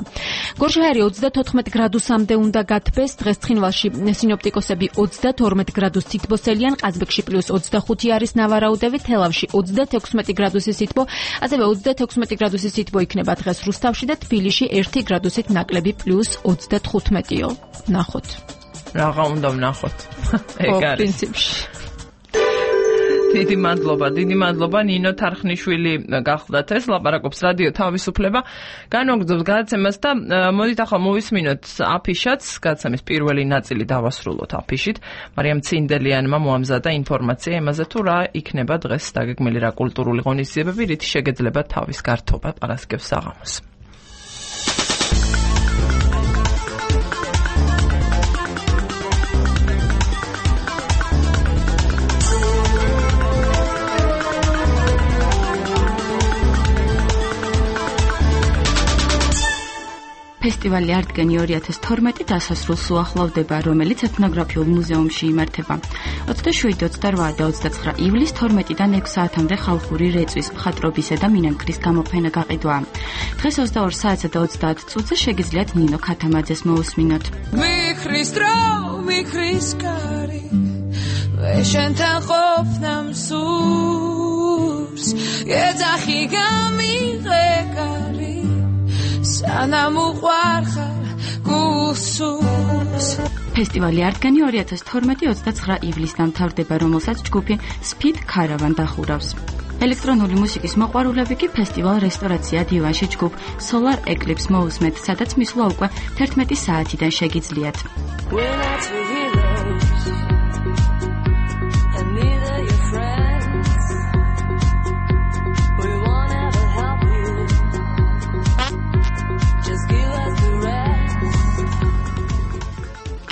გორში ჰარი ოცდათოთხმეტ გრადუსამდე უნდა გათბეს, დღეს ცხინვალში სინოპტიკოსები ოცდათორმეტ გრადუსს სითბოს ელიან, ყაზბეგში პლუს ოცდახუთი არის ნავარაუდები, თელავში ოცდათექვსმეტი გრადუსის სითბო, ასევე ოცდათექვსმეტი გრადუსის სითბო იქნება დღეს რუსთავში და თბილისში ერთი გრადუსით ნაკლები პლუს ოცდათხუთმეტიო. ნახოთ. რაღა უნდა ვნახოთ. ეგ არის პრინციპში. დიდი მადლობა, დიდი მადლობა ნინო თარხნიშვილი გახლდათ ეს ლაპარაკობს რადიო თავისუფლება. განვაგრძობთ გადაცემას და მოდით ახლა მოვისმინოთ აფიშაც, გადაცემის პირველი ნაწილი დავასრულოთ აფიშით. მარიამ ცინდელიანმა მოამზადა ინფორმაცია იმაზე თუ რა იქნება დღეს დაგეგმილი რა კულტურული ღონისძიებები, რითი შეგეძლება თავის გართობა პარასკევს საღამოს. ფესტივალი არტგენი ორი ათას თორმეტი დასასრულს უახლოვდება, რომელიც ეთნოგრაფიულ მუზეუმში იმართება. ოცდაშვიდი, ოცდარვა და ოცდაცხრა ივლისს თორმეტიდან ექვს საათამდე ხალხური რეწვის, მხატვრობისა და მინანქრის გამოფენა გაყიდვაა. დღეს ოცდაორ საათსა და ოცდაათ წუთზე შეგიძლიათ ნინო ქათამაძეს მოусმინოთ. ვიხრის დრო, ვიხრის კარი, ვეშენთან ყოფნამ სურს, ეძახი გამიღე კარი, სანამ უყვარხარ გულსურს. ფესტივალი არტგენი ორი ათას თორმეტი ოცდაცხრა ივლისს დამთავრდება, რომელსაც ჯგუფი Speed Caravan დახურავს. ელექტრონული მუსიკის მოყვარულები კი ფესტივალ რესტორაცია დივანში ჯგუფ Solar Eclipse მოусმენთ, სადაც მისვლა უკვე თერთმეტი საათიდან შეგიძლიათ.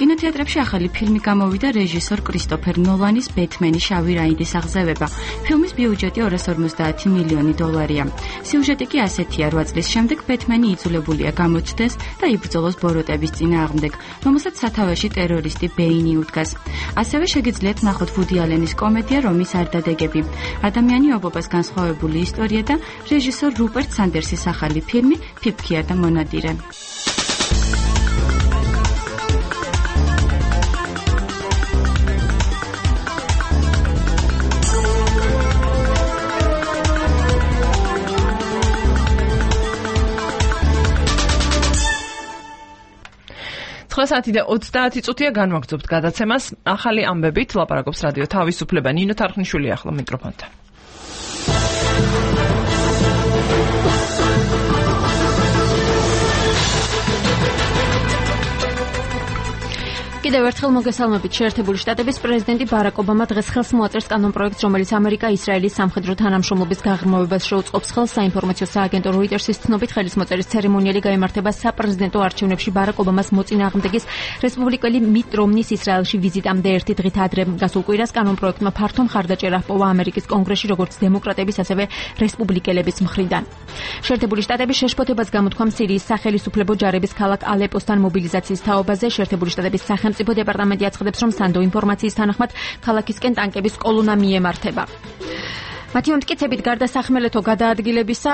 კინოთეატრებში ახალი ფილმი გამოვიდა რეჟისორ კრისტოფერ ნოლანის ბეთმენი შავი რაინდის აღზევება. ფილმის ბიუჯეტი ორას ორმოცდაათი მილიონი დოლარია. სიუჟეტი კი ასეთია: რვა წლის შემდეგ ბეთმენი იძულებულია გამოჩნდეს და იბრძოლოს ბოროტების წინააღმდეგ, რომელსაც სათავეში ტერორისტი ბეინი უდგას. ასევე შეგიძლიათ ნახოთ ვუდი ალენის კომედია რომის არდადეგები, ადამიანი ობობას განსხვავებული ისტორია და რეჟისორ რუპერტ სანდერსის ახალი ფილმი ფიფქია და მონადირე. ცხრა საათი და ოცდაათი წუთია განვაგრძობთ გადაცემას. ახალი ამბებით ლაპარაკობს რადიო თავისუფლება. ნინო თარხნიშვილი ახლა მიკროფონთან. კიდევ ერთხელ მოგესალმებით. შეერთებული შტატების პრეზიდენტი ბარაკ ობამა დღეს ხელს მოაწერს კანონპროექტს, რომელიც ამერიკა-ისრაელის სამხედრო თანამშრომლობის გაღრმავებას შეუწყობს ხელს. საინფორმაციო სააგენტო როიტერსის ცნობით, ხელის მოწერის ცერემონიალი გაიმართება საპრეზიდენტო არჩევნებში ბარაკ ობამას მოწინააღმდეგის რესპუბლიკელი მიტ რომნის ისრაელში ვიზიტამდე ერთი დღით ადრე. გასულ კვირას კანონპროექტმა ფართო მხარდაჭერა ჰპოვა ამერიკის კონგრესში, როგორც დემოკრატების, ასევე რესპუბლიკელების მხრიდან. შეერთებული შტატების შეშფოთებას გამოთქვა სირიის სახელისუფლებო ჯარების ქალაქ ალეპოსთან მობილიზაციის თაობაზე. შეერთებული შტატების სახელმწიფო დეპარტამენტი აცხადებს, რომ სანდო ინფორმაციის თანახმად ქალაქისკენ ტანკების კოლონა მიემართება. მათი მომტკიცებით, გარდა სახმელეთო გადაადგილებისა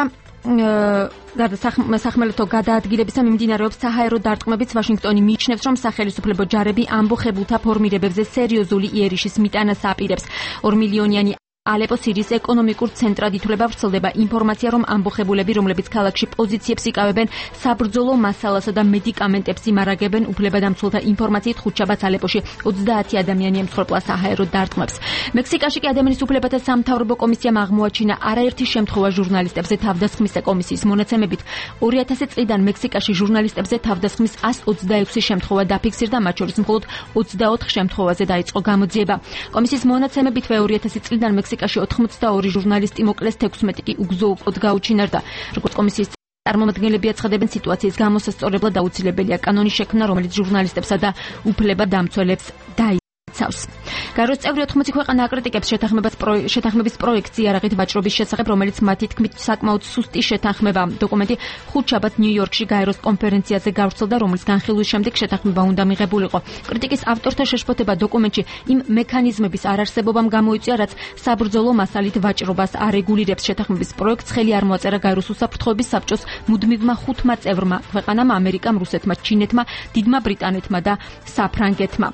სახმელეთო გადაადგილებისა მიმდინარეობს საჰაერო დარტყმებიც. ვაშინგტონი მიიჩნევს, რომ სახელისუფლებო ჯარები ამბოხებულთა ფორმირებებზე სერიოზული იერიშის მიტანას აპირებს. ორ მილიონიანი ალეპო სირიის ეკონომიკურ ცენტრად ითვლება. ვრცელდება ინფორმაცია, რომ ამბოხებულები, რომლებიც ქალაქში პოზიციებს იკავებენ, საბრძოლო მასალასა და მედიკამენტებს იმარაგებენ. უფლებადამცველთა ინფორმაციით ხუთშაბათს ალეპოში ოცდაათი ადამიანი ემცხვერპლა საჰაერო დარტყმებს. მექსიკაში კი ადამიანის უფლებათა სამთავრობო კომისიამ აღმოაჩინა არაერთი შემთხვევა ჟურნალისტებზე თავდასხმის კომისიის მონაცემებით. ორი ათასი წლიდან მექსიკაში ჟურნალისტებზე თავდასხმის ასი ოცდაექვსი შემთხვევა დაფიქსირდა, მათ შორის მხოლოდ ოცდაოთხ შემთხვევაზე დაიწყო გამოძიება. კომისიის მონაცემებითვე ორი ათასი წლიდან მექსიკაში ოთხმოცდაორი ჟურნალისტი მოკლეს, თექვსმეტი კი უგზო-უკოდ გაუჩინარდა. როგორც კომისიის წარმომადგენლები აცხადებენ, სიტუაციის გამოსასწორებლად აუცილებელია კანონის შექმნა, რომელიც ჟურნალისტებსა და უფლებადამცველებს დაიცავს. გაროს წევრი ოთხმოცი ქვეყანა აკრიტიკებს შეთანხმების პროექტს იარაღით ვაჭრობის შესახებ, რომელიც მათი თქმით საკმაოდ სუსტი შეთანხმება. დოკუმენტი ხუთშაბათ ნიუ-იორკში გაეროს კონფერენციაზე გავრცელდა, რომლის განხილვის შემდეგ შეთანხმება უნდა მიღებულიყო. კრიტიკის ავტორთა შეშფოთება დოკუმენტში იმ მექანიზმების არარსებობამ გამოიწვია, რაც საბრძოლო მასალით ვაჭრობას არეგულირებს. შეთანხმების პროექტს ხელი არ მოაწერა გაეროს უსაფრთხოების საბჭოს მუდმივმა ხუთმა წევრმა ქვეყანამ: ამერიკამ, რუსეთმა, ჩინეთმა, დიდმა ბრიტანეთმა და საფრანგეთმა.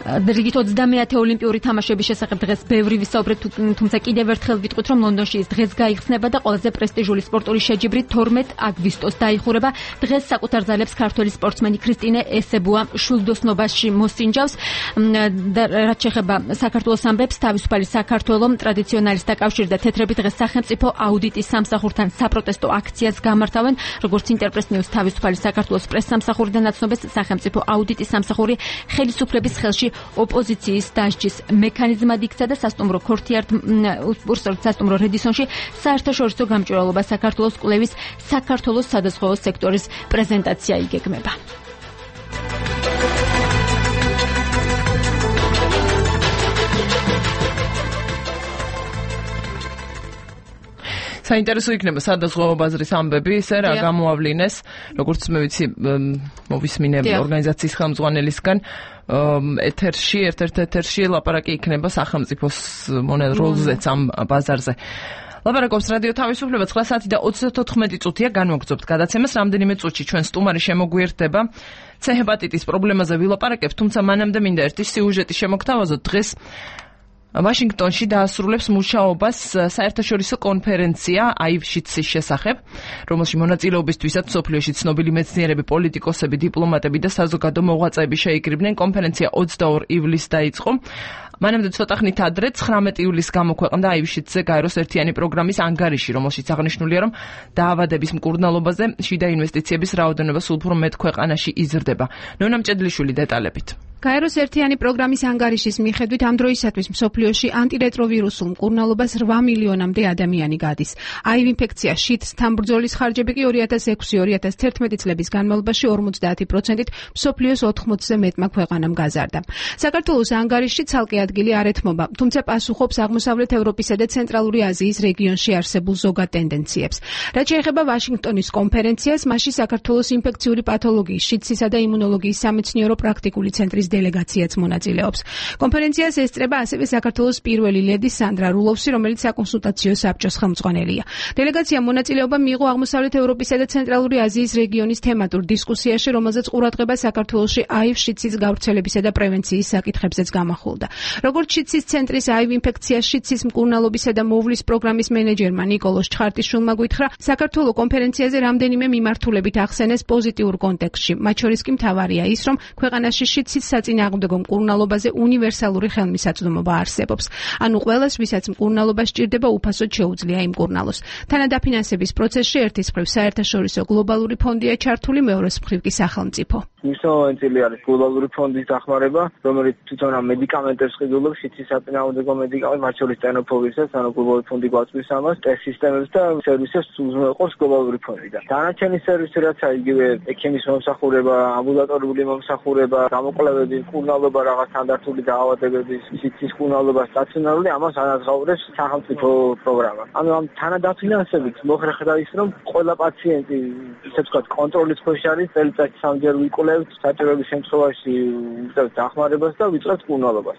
რიგით ოცდამეათე ოლიმპიური თამაშების შესახებ დღეს ბევრი ვისაუბრეთ, თუმცა კიდევ ერთხელ ვიტყვით, რომ ლონდონში ის დღეს გაიხსნება და ყველაზე პრესტიჟული სპორტული შეჯიბრი თორმეტ აგვისტოს დაიხურება. დღეს საკუთარ ძალებს ქართველი სპორტსმენი ქრისტინე ესებუა შვილდოსნობაში მოსინჯავს. რაც შეეხება საქართველოს ამბებს, თავისუფალი საქართველო ტრადიციონალისტთა კავშირი და თეთრები დღეს სახელმწიფო აუდიტის სამსახურთან საპროტესტო აქციას გამართავენ. როგორც ინტერპრეს ნიუს თავისუფალი საქართველოს პრესსამსახურიდან აცნობეს, სახელმწიფო აუდიტის სამსახური ხელისუფლების ხელში ოპოზიციის დასჯის მექანიზმად იქცა და სასტუმრო ქორთიარდ ურსორთ სასტუმრო რედისონში საერთაშორისო გამჭვირვალობა საქართველოს კვლევის საქართველოს სადაზღვევო სექტორის პრეზენტაცია იგეგმება. საინტერესო იქნება სადაზღვევო ბაზრის ამბები, ისე რა გამოავლინეს, როგორც მე ვიცი, მოვისმინე ორგანიზაციის ხელმძღვანელისგან, ეთერში, ერთ-ერთ ეთერში ლაპარაკი იქნება სახელმწიფოს მონელ როლზეც ამ ბაზარზე. ლაპარაკობს რადიო თავისუფლება ცხრა საათი და ოცდათოთხმეტი წუთია განვაგრძობთ გადაცემას. რამდენიმე წუთში ჩვენ სტუმარი შემოგვიერთდება. C ჰეპატიტის პრობლემაზე ვილაპარაკებთ, თუმცა მანამდე მინდა ერთი სიუჟეტი შემოგთავაზოთ. დღეს ვაშინგტონში დაასრულებს მუშაობას საერთაშორისო კონფერენცია აივ-შიცის შესახებ, რომელში მონაწილეობისთვისაც მსოფლიოში ცნობილი მეცნიერები, პოლიტიკოსები, დიპლომატები და საზოგადო მოღვაწეები შეიკრიბნენ. კონფერენცია ოცდაორ ივლისს დაიწყო. მანამდე ცოტა ხნით ადრე ცხრამეტი ივლისს გამოქვეყნდა აივ-შიცზე გაეროს ერთიანი პროგრამის ანგარიში, რომელშიც აღნიშნულია, რომ დაავადების მკურნალობაზე შიდა ინვესტიციების რაოდენობა სულ უფრო მეტ ქვეყანაში იზრდება. ნონა მჭედლიშვილი დეტალებით. გაეროს ერთიანი პროგრამის ანგარიშის მიხედვით ამ დროისათვის მსოფლიოში ანტირეტროვირუსულ მკურნალობას რვა მილიონამდე ადამიანი გადის. აივ ინფექცია შიდს თამბრძოლის ხარჯები კი ორი ათას ექვსი ორი ათას თერთმეტი წლების განმავლობაში ორმოცდაათი პროცენტით მსოფლიოს ოთხმოცზე მეტმა ქვეყანამ გაზარდა. საქართველოს ანგარიში ცალკე ადგილი არ ეთმობა, თუმცა პასუხობს აღმოსავლეთ ევროპისა და ცენტრალური აზიის რეგიონში არსებულ ზოგად ტენდენციებს. რაც შეეხება ვაშინგტონის კონფერენციას, მასში საქართველოს ინფექციური პათოლოგიის, შიდსისა და იმუნოლოგიის სამეცნიერო პრაქტიკული ცენტრის დელეგაციაც მონაწილეობს. კონფერენციას ესწრება ასევე საქართველოს პირველი ლედი სანდრა რულოვსი, რომელიც საკონსულტაციო საბჭოს ხელმძღვანელია. დელეგაციამ მონაწილეობა მიიღო აღმოსავლეთ ევროპისა და ცენტრალური აზიის რეგიონის თემატურ დისკუსიაში, რომელზეც ყურადღება საქართველოში აივ-შიცის გავრცელებისა და პრევენციის საკითხებზეც გამახვილდა. როგორც შიცის ცენტრის აივ ინფექცია შიცის მკურნალობისა და მოვლის პროგრამის მენეჯერმა ნიკოლოზ ჩხარტიშვილმა გითხრა, საქართველოს კონფერენციაზე რამდენიმე მიმართულებით ახსენეს პოზიტიურ კონტექსტში. მათ შორის კი მთავარია ის, რომ ქვეყანაში შიცის საწინააღმდეგო მკურნალობაზე უნივერსალური ხელმისაწვდომობა არსებობს. ანუ ყველას, ვისაც მკურნალობა სჭირდება, უფასოდ შეუძლია იმკურნალოს. თანადაფინანსების პროცესში ერთის მხრივ საერთაშორისო გლობალური ფონდია ჩართული, მეორეს მხრივ კი სახელმწიფო. მნიშვნელოვანი წილი არის გლობალური ფონდის დახმარება, რომელიც თვითონ ამ მედიკამენტებს ყიდულობს, შიცის საწინააღმდეგო მედიკამენტებს, მათ შორის ტენოფოვირსაც, ანუ გლობალური ფონდი გვაწვის ამას, ტესტ სისტემებს და სერვისებს უზრუნველყოფს გლობალური ფონდიდან. დანარჩენი სერვისი რაც არის, იგივე ექიმის მომსახურება, ამბულატორიული მომსახურება, გამოკვლევები, მკურნალობა, რაღაც სტანდარტული დაავადებების, შიცის მკურნალობა, სტაციონარული, ამას ანაზღაურებს სახელმწიფო პროგრამა. ანუ ამ თანადაფინანსებით მოხერხდა ის, რომ ყველა პაციენტი, ისე ვთქვათ, კონტროლის ქვეშ არის, წელიწადში სამჯერ ვიკვლევთ, საჭიროების შემთხვევაში ვიწევთ დახმარებას და ვიწევთ მკურნალობას.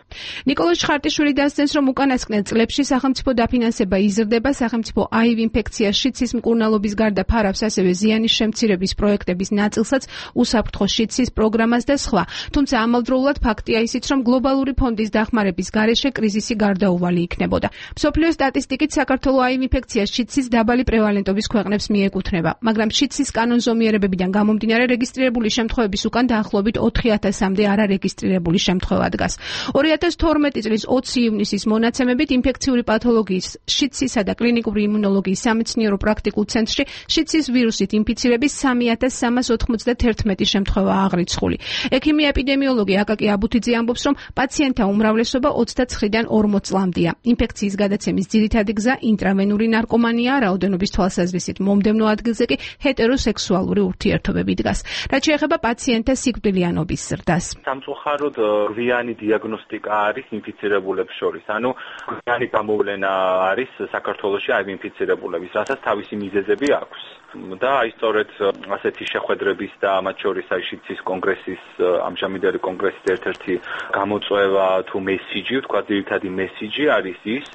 ნიკოლოზ ჩხარტიშვილი დასცენს, რომ უკანასკნელ წლებში სახელმწიფო დაფინანსება იზრდება, სახელმწიფო აივ ინფექცია შიცის მკურნალობის გარდა ფარავს ასევე ზიანის შემცირების პროექტების ნაწილსაც, უსაფრთხო შიცის პროგრამას და სხვა. თუმცა ამავდროულად ფაქტია ისიც, რომ გლობალური ფონდის დახმარების გარეშე კრიზისი გარდაუვალი იქნებოდა. მსოფლიო სტატისტიკით საქართველოს აივ ინფექციის შიცის დაბალი პრევალენტობის ქვეყნებს მიეკუთვნება, მაგრამ შიცის კანონზომიერებებიდან გამომდინარე რეგისტრირებული შემთხვევების უკან დაახლოებით ოთხი ათასამდე არარეგისტრირებული შემთხვევა დგას. ორი ათას თორმეტი წლის ოცი ივნისის მონაცემებით ინფექციური პათოლოგიის, შიცისა და კლინიკური იმუნოლოგიის სამეცნიერო პრაქტიკულ ცენტრში შიცის ვირუსით ინფიცირების სამი ათას სამას ოთხმოცდათერთმეტი შემთხვევა აღრიცხული. ექიმი ეპიდემიოლოგი აკაკი აბუთიძე ამბობს, რომ პაციენტთა უმრავლესობა ოცდაცხრიდან ორმოც წლამდეა. ინფექციის გადაცემის ძირითადი გზა ინტრავენური ნარკომანია, რაოდენობის თვალსაზრისით მომდევნო ადგილზე კი ჰეტეროსექსუალური ურთიერთობები დგას. რაც შეეხება პაციენტთა სიკვდილიანობის ზრდას. სამწუხაროდ გვიანი დიაგნოსტიკა არის ინფიცირებულებს შორის. ანუ გვიანი გამოვლენა არის საქართველოში აივ ინფიცირებულების, რასაც თავისი მიზეზები აქვს. და აი სწორედ ასეთი შეხვედრების და მათ შორის აი შიცის კონგრესის ამჟამინდელი კონგრესის ერთ-ერთი გამოწვევა თუ მესიჯი, თქვა ძირითადი მესიჯი არის ის,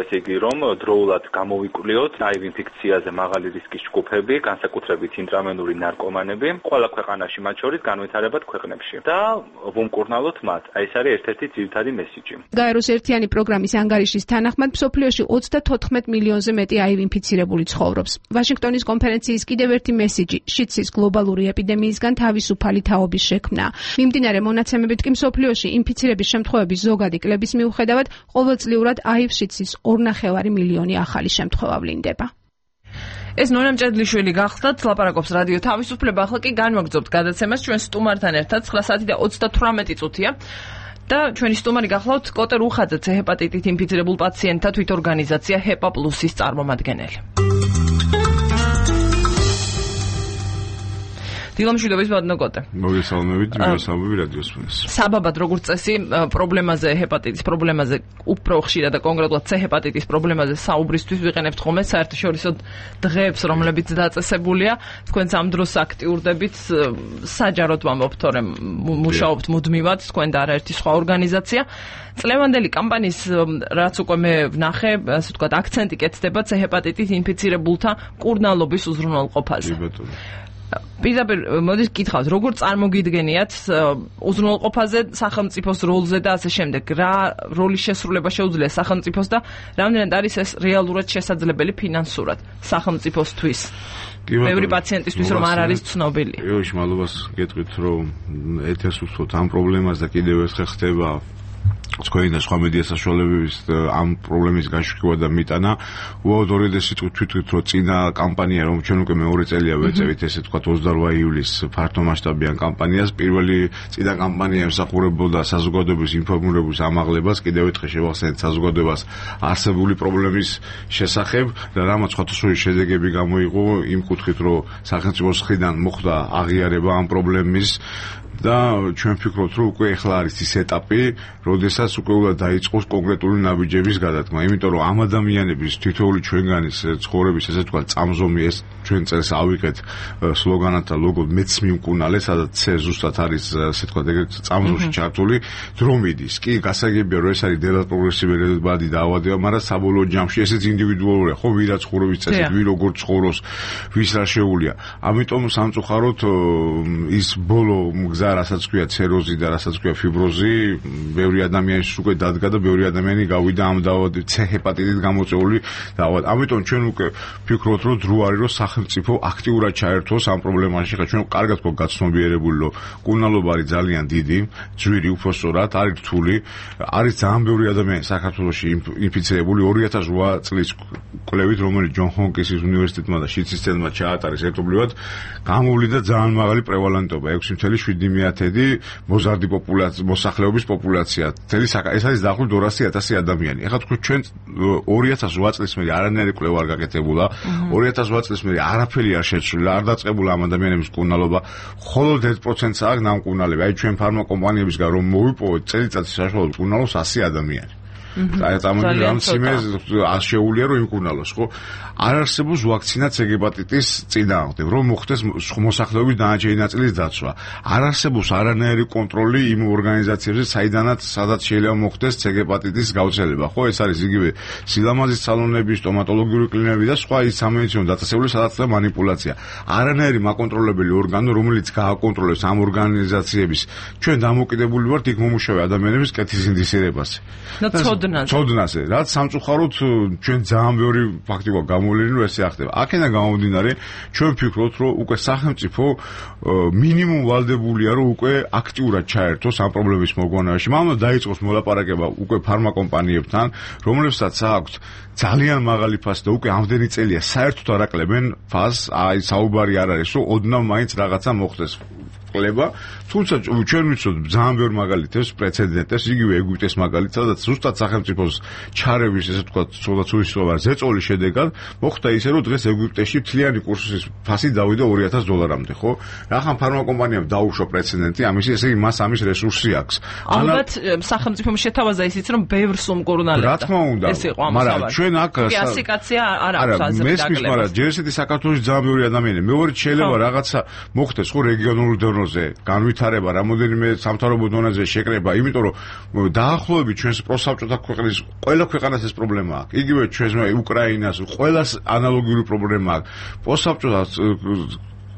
ესე იგი რომ დროულად გამოვიკვლიოთ აივ ინფექციაზე მაღალი რისკის ჯგუფები, განსაკუთრებით ინტრავენური ნარკომანები, ყველა ქვეყანაში, მათ შორის განვითარებად ქვეყნებში და ვუმკურნალოთ მათ. აი ეს არის ერთ-ერთი ძირითადი მესიჯი. გაეროს ერთიანი პროგრამის ანგარიშის თანახმად მსოფლიოში ოცდათოთხმეტ მილიონზე მეტი აივ ინფიცირებული ცხოვრობს. ვაშინგტონის კონფერენციის კიდევ ერთი მესიჯი შიცის გლობალური ეპიდემიისგან თავისუფალი თაობის შექმნა. მიმდინარე მონაცემებით კი მსოფლიოში ინფიცირების შემთხვევების ზოგადი კლების მიუხედავად ყოველწლიურად აივ შიცის ორნახევარი მილიონი ახალი შემთხვევა ვლინდება. ეს ნონა მჭედლიშვილი გახლდათ, ლაპარაკობს რადიო თავისუფლება, ახლა კი განვაგრძობთ გადაცემას ჩვენ სტუმართან ერთად ცხრა საათი და ოცდათვრამეტი წუთია. და ჩვენი სტუმარი გახლავთ კოტე რუხაძე, C ჰეპატიტით ინფიცირებულ პაციენტთა თვითორგანიზაცია ჰეპა პლუსის წარმომადგენელი. დილამშვიდობის ბატონო. მოგესალმებით, მოგესალმებით რადიოს ფონს. საბაბად როგორც წესი, პრობლემაზე, ჰეპატიტის პრობლემაზე, უფრო ხშირად და კონკრეტულად C ჰეპატიტის პრობლემაზე საუბრისთვის ვიყენებთ ხოლმე საერთაშორისო დღეებს, რომლებიც დაწესებულია. თქვენც ამ დროს აქტიურდებით, საჯაროდ ვამბობთ, თორემ მუშაობთ მუდმივად, თქვენ და არაერთი სხვა ორგანიზაცია. წლევანდელი კამპანიის რაც უკვე მე ვნახე, ასე ვთქვათ, აქცენტი კეთდება C ჰეპატიტით ინფიცირებულთა მკურნალობის უზრუნველყოფაზე. პირდაპირ მოდით გითხავთ, როგორ წარმოგიდგენიათ უზრუნველყოფაზე, სახელმწიფოს როლზე და ასე შემდეგ, რა როლის შესრულება შეუძლია სახელმწიფოს და რამდენად არის ეს რეალურად შესაძლებელი ფინანსურად სახელმწიფოსთვის? ბევრი პაციენტისთვის რომ არ არის ცნობილი. ეოში მადლობას გეტყვით, რომ ეთერს უსვოთ ამ პრობლემას და კიდევ ერთხელ ხდება თქვენი და სხვა მედია საშუალებების ამ პრობლემის გაშუქება და მიტანა. უაოდ ორიოდე სიტყვით თვითონ რომ წინა კამპანია, რომ ჩვენ უკვე მეორე წელია ვეწევით, ესე ვთქვათ ოცდარვა ივლისს ფართომასშტაბიან კამპანიას, პირველი წინა კამპანია ემსახურებოდა საზოგადოების ინფორმირების ამაღლებას, კიდევ ერთხელ შევახსენეთ საზოგადოებას არსებული პრობლემის შესახებ და რამაც სხვადასხვა შედეგები გამოიღო იმ კუთხით, რომ სახელმწიფოს მხრიდან მოხდა აღიარება ამ პრობლემის და ჩვენ ვფიქრობთ, რომ უკვე ახლა არის ის ეტაპი, როდესაც უკვე უნდა დაიწყოს კონკრეტული ნაბიჯების გადადგმა, იმიტომ რომ ამ ადამიანების თითოეული ჩვენგანის ცხოვრების ესე თქვა წამზომი ეს ჩვენ წელს ავიღეთ სლოგანად და ლოგოდ მეც მიმკუნალე, სადაც C ზუსტად არის ესე თქვა ეგრეთ წამზომში ჩართული, დრო მიდის. კი, გასაგებია, რომ ეს არის დედალ პროგრესივი დაავადება, მაგრამ საბოლოო ჯამში ესეც ინდივიდუალურია, ხო, ვირა ცხოვრების წესით, ვინ როგორ ცხოვრობს, ვის რა შეუულია. ამიტომ სამწუხაროდ ის ბოლო გზა რასაც ქვია ცეროზი და რასაც ქვია ფიბროზი, ბევრი ადამიანის უკვე დადგა და ბევრი ადამიანი გავიდა ამ დაავადებით, C ჰეპატიტით გამოწვეული დაავადება. ამიტომ ჩვენ უკვე ვფიქრობთ, რომ დრო არის, რომ სახელმწიფო აქტიურად ჩაერთოს ამ პრობლემაში. ხა ჩვენ კარგად გვაქვს გაცნობიერებული, რომ კურნალობა არის ძალიან დიდი, ძვირი უფრო სწორად, არის რთული, არის ძალიან ბევრი ადამიანი საქართველოში ინფიცირებული. ორი ათას რვა წლის კვლევით, რომელიც ჯონ ჰოპკინსის უნივერსიტეტმა და შიცისცემმა ჩაატარეს ერთობლივად, გამოვლინდა ძალიან მაღალი პრევალენტობა, ექვსი ათეული შვიდი მეათედი მოზარდი პოპულაცია, მოსახლეობის პოპულაცია. თელი ეს არის დაახლოებით ორასი ათასი ადამიანი. ეხლა თქვენ ჩვენ ორი ათას რვა წლის მერე არანაირი კვლევა არ გაკეთებულა. ორი ათას რვა წლის მერე არაფერი არ შეცვლილა, არ დაწყებულა ამ ადამიანების მკურნალობა. მხოლოდ ერთ პროცენტს აქვს ნამკურნალები. აი ჩვენ ფარმაკომპანიებისგან რომ მოვიპოვოთ წელიწადში საშუალო მკურნალობს ასი ადამიანი. აი წამოდი ამ სიმეს შეუულია რომ იმკურნალოს, ხო? არ არსებობს ვაქცინა C ჰეპატიტის წინააღმდეგ, რომ მოხდეს მოსახლეობის დანარჩენი ნაწილის დაცვა. არ არსებობს არანაირი კონტროლი იმ ორგანიზაციებზე, საიდანაც სადაც შეიძლება მოხდეს C ჰეპატიტის გავრცელება, ხო? ეს არის იგივე სილამაზის სალონები, სტომატოლოგიური კლინიკები და სხვა ის სამედიცინო დაწესებული, სადაც და მანიპულაცია. არანაირი მაკონტროლებელი ორგანო, რომელიც გააკონტროლებს ამ ორგანიზაციების ჩვენ დამოკიდებული ვართ იქ მომუშავე ადამიანების კეთის ინდისირებაზე. ცოდნაზე, რაც სამწუხაროდ ჩვენ ძალიან ბევრი ფაქტი გვაქვს გამოვლინი, რომ ესე ახდება. აქედან გამომდინარე, ჩვენ ვფიქრობთ, რომ უკვე სახელმწიფო მინიმუმ ვალდებულია, რომ უკვე აქტიურად ჩაერთოს ამ პრობლემის მოგვანაში. მამლა დაიწყოს მოლაპარაკება უკვე ფარმაკომპანიებთან, რომლებსაც აქვთ ძალიან მაღალი ფასი და უკვე ამდენი წელია საერთოდ არ აკლებენ ფასს, აი საუბარი არ არის, რომ ოდნავ მაინც რაღაცა მოხდეს. ყლება, თუმცა ჩვენ ვიცოდთ ძალიან ბევრ მაგალითებს, პრეცედენტებს, იგივე ეგვიპტეს მაგალითს, სადაც ზუსტად სახელმწიფოს ჩარევის, ესე ვთქვათ, ცოდაცუის სოვა ზეწოლის შედეგად მოხდა ისე, რომ დღეს ეგვიპტეში მთლიანი კურსის ფასი დავიდა ორი ათას დოლარამდე, ხო? რახან ფარმაკომპანიამ დაუშვა პრეცედენტი, ამის ესე იგი მას ამის რესურსი აქვს. ალბათ სახელმწიფომ შეთავაზა ისიც, რომ ბევრ სუმკურნალებდა. რა თქმა უნდა, მაგრამ ჩვენ აქ კლასიფიკაცია არ აქვს აზრი დაგლებას. მაგრამ ჯერ ესეთი საქართველოს ძალიან ბევრი ადამიანი, მეორე შეიძლება რაღაცა მოხდეს, ხო, რეგიონულ დონეზე, განვითარება, რამოდენიმე სამთავრობო დონეზე შეკრება, იმიტომ რომ დაახლოებით ჩვენს პროსაბჭოთა ქვეყნის ყველა ქვეყანას ეს პრობლემა აქვს. იგივე ჩვენს უკრაინას, ყველას ანალოგიური პრობლემა აქვს. პროსაბჭოთა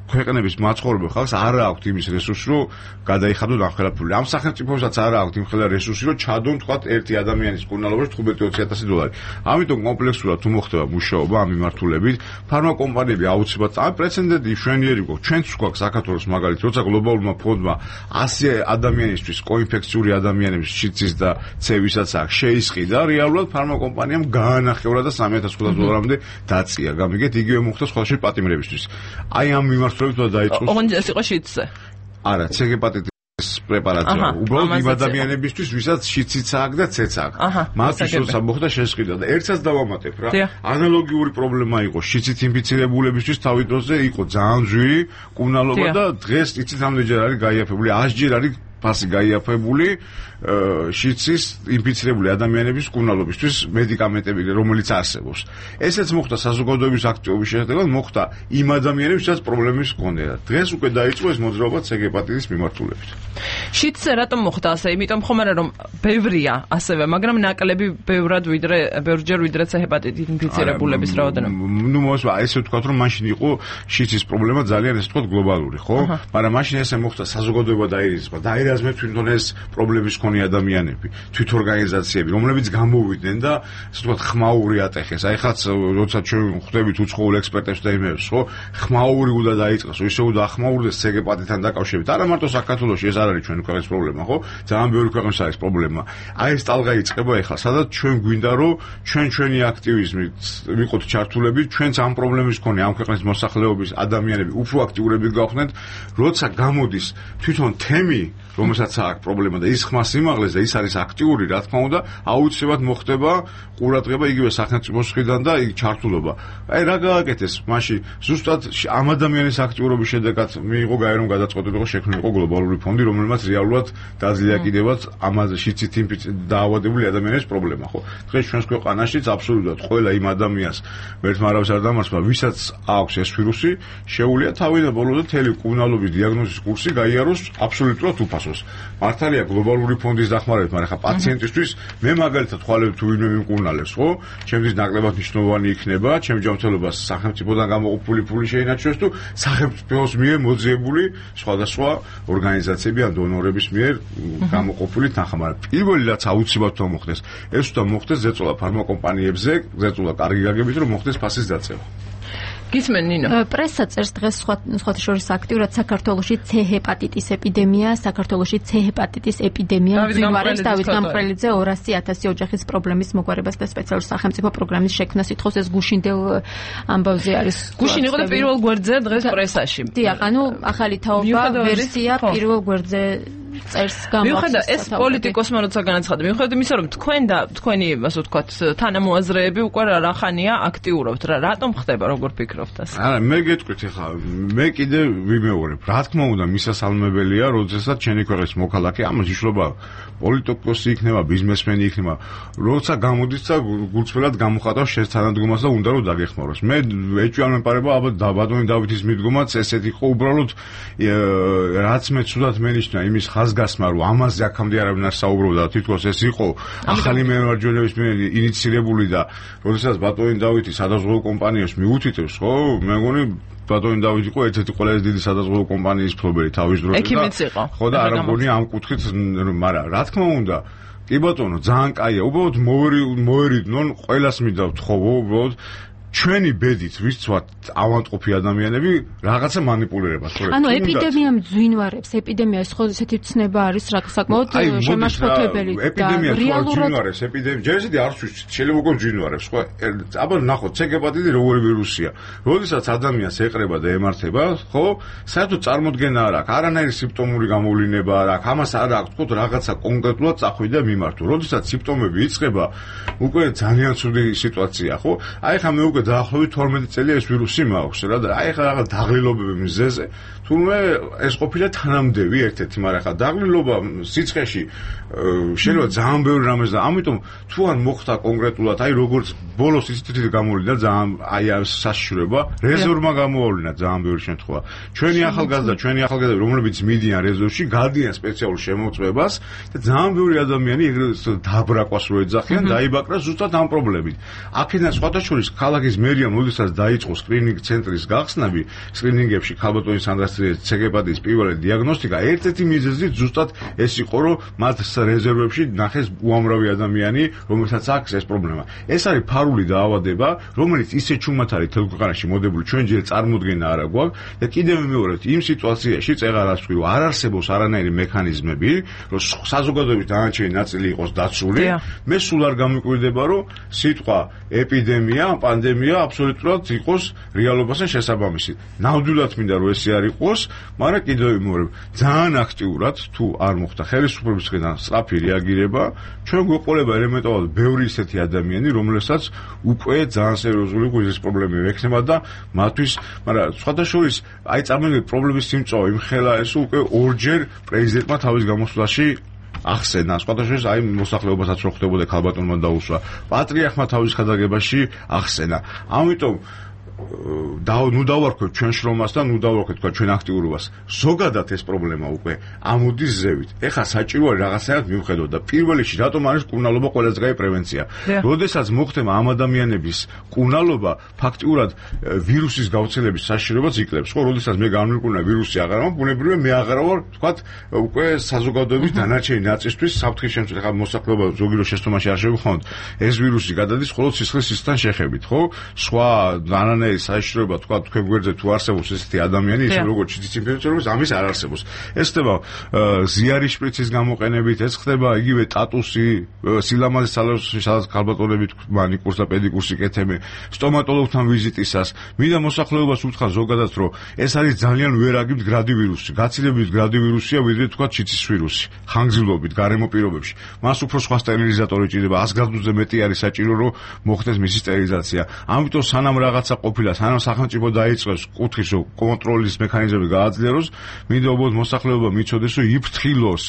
ქვეყნების მაცხოვრებელ ხალხს არ აქვს იმის რესურსი, რომ გადაიხადოს ამხელაფული. ამ სახელმწიფოსაც არ აქვს იმხელა რესურსი, რომ ჩადონ თქვათ ერთი ადამიანის კურნალობაში თხუთმეტი ოცი ათასი დოლარი. ამიტომ კომპლექსურად თუ მოხდება მუშაობა ამ მიმართულებით, ფარმაკომპანიები აუცილებლად ამ პრეცედენტი მშვენიერი გვაქვს. ჩვენც გვაქვს საქართველოს მაგალითი, როცა გლობალურმა ფონდმა ასი ადამიანისთვის კოინფექციური ადამიანების შიცის და ცევისაც აქვს შეისყიდა, რეალურად ფარმაკომპანიამ გაანახევრა და სამი ათას ხუთას დოლარამდე დაწია. გამიგეთ, იგივე მოხდა სხვადასხვა პატიმრებისთვის. აი ამ მიმართულებით ოღონდ ეს იყო შიდზე. არა, C ჰეპატიტის პრეპარატია. უბრალოდ იმ ადამიანებისთვის, ვისაც შიციც აქვს და ცეც აქვს. მათთვის როცა მოხდა შესყიდვა და ერთსაც დავამატებ რა. ანალოგიური პრობლემა იყო შიცით ინფიცირებულებისთვის თავის დროზე იყო ძალიან ძვირი კუნალობა და დღეს იცით ამდენჯერ არის გაიაფებული, ასჯერ არის ფასი გაიაფებული შიცის ინფიცირებული ადამიანების კუნალობისთვის მედიკამენტები, რომელიც არსებობს. ესეც მოხდა საზოგადოების აქტივობის შედეგად, მოხდა იმ ადამიანებს, ვისაც პრობლემის ჰქონდათ. დღეს უკვე დაიწყო ეს მოძრაობა ცე ჰეპატიტის მიმართულებით. შიცზე რატომ მოხდა ასე? იმიტომ ხომ არა რომ ბევრია ასევე, მაგრამ ნაკლები ბევრად ვიდრე ბევრჯერ ვიდრე ცე ჰეპატიტით ინფიცირებულების რაოდენობა. ნუ მოსვა, ესე ვთქვათ, რომ მაშინ იყო შიცის პრობლემა ძალიან ესე ვთქვათ გლობალური, ხო? მაგრამ მაშინ ესე მოხდა საზოგადოება დაირიცხა, დაირაზმე თვითონ ეს პრობლემის მქონე ადამიანები, თვითორგანიზაციები, რომლებიც გამოვიდნენ და ასე ვთქვათ ხმაური ატეხეს. აი ხაც როცა ჩვენ ხვდებით უცხოურ ექსპერტებს და იმებს, ხო, ხმაური უნდა დაიწყოს, ისე უნდა ახმაურდეს ცე ჰეპატიტთან დაკავშირებით. არა მარტო საქართველოში ეს არ არის ჩვენი ქვეყნის პრობლემა, ხო? ძალიან ბევრი ქვეყნის არის პრობლემა. აი ეს ტალღა იწყება ახლა, სადაც ჩვენ გვინდა რომ ჩვენ ჩვენი აქტივიზმით ვიყოთ ჩართულები, ჩვენც ამ პრობლემის მქონე ამ ქვეყნის მოსახლეობის ადამიანები უფრო აქტიურები გავხდეთ, როცა გამოდის თვითონ თემი, რომელსაც აქვს პრობლემა და ის ხმას იმაღლეს და ის არის აქტიური, რა თქმა უნდა, აუცილებლად მოხდება ყურადღება იგივე სახელმწიფოს მხრიდან და იქ ჩართულობა. აი რა გააკეთეს მაშინ ზუსტად ამ ადამიანის აქტიურობის შედეგად მიიღო გაერომ გადაწყვეტილება, იყო შექმნილიყო გლობალური ფონდი, რომელმაც რეალურად დაძლია კიდევაც ამაზე შიცით დაავადებული ადამიანის პრობლემა, ხო? დღეს ჩვენს ქვეყანაშიც აბსოლუტურად ყველა იმ ადამიანს ერთმა არავის არ დამარცხება, ვისაც აქვს ეს ვირუსი, შეუძლია თავიდან ბოლომდე მთელი კუნალობის დიაგნოზის კურსი გაიაროს აბსოლუტურად უფასოს. მართალია გლობალური ფონდის დახმარებით, მაგრამ ხა პაციენტისთვის მე მაგალითად ხვალებ თუ ვინმე მიმკურნალებს, ხო? ჩემთვის ნაკლებად მნიშვნელოვანი იქნება, ჩემ ჯანმრთელობას სახელმწიფოდან გამოყოფილი ფული შეინარჩუნოს თუ სახელმწიფოს მიერ მოძიებული სხვადასხვა ორგანიზაციები ან დონორების მიერ გამოყოფილი თანხა, მაგრამ პირველი რაც აუცილებლად უნდა მოხდეს, ეს უნდა მოხდეს ზეწოლა ფარმაკომპანიებზე, ზეწოლა კარგი გაგებით, რომ მოხდეს ფასის დაწევა. გისმენ ნინო? პრესა წერს დღეს სხვა სხვათა შორის აქტიურად საქართველოში ცე ჰეპატიტის ეპიდემია, საქართველოში ცე ჰეპატიტის ეპიდემია გვიმარებს დავით გამყრელიძე ორასი ათასი ოჯახის პრობლემის მოგვარებას და სპეციალური სახელმწიფო პროგრამის შექმნას ითხოვს. ეს გუშინდელ ამბავზე არის. გუშინ იყო და პირველ გვერდზე დღეს პრესაში. დიახ, ანუ ახალი თაობა ვერსია პირველ გვერდზე წერს გამოხსნა. მიუხედავად ეს პოლიტიკოსმა როცა განაცხადა, მიუხედავად იმისა, რომ თქვენ და თქვენი ასე ვთქვათ თანამოაზრეები უკვე რახანია აქტიურობთ, რა რატომ ხდება, როგორ ფიქრობთ ასე? არა, მე გეტყვით ახლა, მე კიდე ვიმეორებ. რა თქმა უნდა, მისასალმებელია, როდესაც ჩემი ქვეყნის მოქალაქე, ამას იშლობა პოლიტიკოსი იქნება, ბიზნესმენი იქნება, როცა გამოდის და გულწრფელად გამოხატავს შენს თანადგომას და უნდა რომ დაგეხმაროს. მე ეჭვიან მეპარება, ალბათ ბატონი დავითის მიდგომაც ესეთ იყო, უბრალოდ რაც მე ცუდად მენიშნა იმის ხაზგასმა, რომ ამაზე აქამდე არავინ არ საუბრობდა, თითქოს ეს იყო ახალი მემარჯვენეების მიერ ინიციირებული და როდესაც ბატონი დავითი სადაზღვევო კომპანიებს მიუთითებს, ხო, მე მგონი ბატონი დავითი იყო ერთ-ერთი ყველაზე დიდი სადაზღვევო კომპანიის მფლობელი თავის დროზე და ხო და არ მგონი ამ კუთხით, მაგრამ რა თქმა უნდა კი ბატონო, ძალიან კაია, უბრალოდ მოერიდნენ, ყველას მიდავთ ხო, უბრალოდ ჩვენი ბედით ვისცვათ ავანტყოფი ადამიანები რაღაცა манипуლირებას ხორეთ. ანუ ეპიდემია მძვინვარებს, ეპიდემია ეს ხო ესეთი ცნება არის რა საკმაოდ შემაშფოთებელი და რეალურად მძვინვარებს ეპიდემია. ჯერ ისეთი არ ვიცი, შეიძლება უკვე მძვინვარებს, ხო? აბა ნახოთ, ცე ჰეპატიტი როგორი ვირუსია. როდესაც ადამიანს ეყრება და ემართება, ხო? საერთოდ წარმოდგენა არ აქვს, არანაირი სიმპტომური გამოვლინება არ აქვს. ამას არ აქვს, თქო, რაღაცა კონკრეტულად წახვიდე და მიმართო. როდესაც სიმპტომები იწყება, უკვე ძალიან ცუდი სიტუაცია, ხო? აი ხა მე უკვე დაახლოებით თორმეტი წელია ეს ვირუსი მაქვს რა და აი ხა რაღაც დაღლილობები მზეზე თუმცა ეს ყოფილა თანამდევი ერთ-ერთი, მაგრამ ხა დაღლილობა სიცხეში შეიძლება ძალიან ბევრი რამეს და ამიტომ თუ არ მოხდა კონკრეტულად აი როგორც ბოლოს ისეთი გამოვიდა ძალიან აი ამ საშიშრება რეზერვმა გამოვავლინა ძალიან ბევრი შემთხვევა. ჩვენი ახალგაზრდა, ჩვენი ახალგაზრდა რომლებიც მიდიან რეზერვში, გადიან სპეციალურ შემოწმებას და ძალიან ბევრი ადამიანი ეგრეთ დაბრაყვას რო ეძახიან, დაიბაკრა ზუსტად ამ პრობლემით. აქედან სხვათა შორის ქალაქის მერიამ როდესაც დაიწყო სკრინინგ ცენტრის გახსნები, სკრინინგებში ქალბატონის სანდრასტრიეს ცე ჰეპატიტის პირველი დიაგნოსტიკა, ერთ-ერთი მიზეზი ზუსტად ეს იყო, რომ მათ რეზერვებში ნახეს უამრავი ადამიანი, რომელსაც აქვს ეს პრობლემა. ეს არის ფარული დაავადება, რომელიც ისე ჩუმად არის თელ ქვეყანაში მოდებული, ჩვენ ჯერ წარმოდგენა არ აქვს და კიდევ მეორედ იმ სიტუაციაში წეღარას ვთქვი, რომ არ არსებობს არანაირი მექანიზმები, რომ საზოგადოების დანარჩენი ნაწილი იყოს დაცული. მე სულ არ გამიკვირდება, რომ სიტყვა ეპიდემია, პანდემია სისტემია აბსოლუტურად იყოს რეალობასთან შესაბამისი. ნამდვილად მინდა რომ ესე არ იყოს, მაგრამ კიდევ იმეორებ, ძალიან აქტიურად თუ არ მოხდა ხელისუფლების მხრიდან სწრაფი რეაგირება, ჩვენ გვეყოლება ელემენტარულად ბევრი ისეთი ადამიანი, რომელსაც უკვე ძალიან სერიოზული გულის პრობლემები ექნება და მათთვის, მაგრამ სხვადასხვის აი წარმოგიდგენთ პრობლემის სიმწვავე იმხელა ეს უკვე ორჯერ პრეზიდენტმა თავის გამოსვლაში ახსენა, სხვადასხვის აი მოსახლეობასაც რო ხდებოდა ქალბატონმა დაუსვა, პატრიარხმა თავის ხადაგებაში ახსენა. ამიტომ და ნუ დავარქვეთ ჩვენ შრომას და ნუ დავარქვეთ თქვა ჩვენ აქტიურობას. ზოგადად ეს პრობლემა უკვე ამოდის ზევით. ეხლა საჭირო არის რაღაცნაირად მივხედოთ და პირველ რიგში რატომ არის კურნალობა ყველაზე კაი პრევენცია. როდესაც მოხდება ამ ადამიანების კურნალობა, ფაქტიურად ვირუსის გავრცელების საშიშროებას იკლებს. ხო, როდესაც მე გამიკვირნა ვირუსი აღარ მაქვს, ბუნებრივია მე აღარ ვარ, თქვათ, უკვე საზოგადოების დანარჩენი ნაწისთვის საფრთხის შემცველი ხა მოსახლეობა ზოგი რო შეცდომაში არ შევიხონოთ. ეს ვირუსი გადადის მხოლოდ სისხლის სისხლთან შეხებით, ხო? სხვა დანარჩენი საიშროება თქვა თქვენ გვერდზე თუ არსებობს ესეთი ადამიანი, ისე როგორც ჩიტის ინფექციურობის ამის არ არსებობს. ეს ხდება ზიარის შპრიცის გამოყენებით, ეს ხდება იგივე ტატუსი, სილამაზის სალონში, სადაც ქალბატონები მანიკურს და პედიკურს იკეთებენ, სტომატოლოგთან ვიზიტისას. მინდა მოსახლეობას უთხრა ზოგადად, რომ ეს არის ძალიან ვერაგი მდგრადი ვირუსი. გაცილებით მდგრადი ვირუსია, ვიდრე თქვა ჩიტის ვირუსი. ხანგრძლივობით, გარემო პირობებში. მას უფრო სხვა სტერილიზატორი ჭირდება, ას გრადუსზე მეტი არის საჭირო, რომ მოხდეს მისი სტერილიზაცია. ამიტომ სანამ რაღაცა ყოფილა, სანამ სახელმწიფო დაიწყებს კუთხის კონტროლის მექანიზმები გააძლიეროს, მინდა უბრალოდ მოსახლეობა მიცოდეს, რომ იფრთხილოს.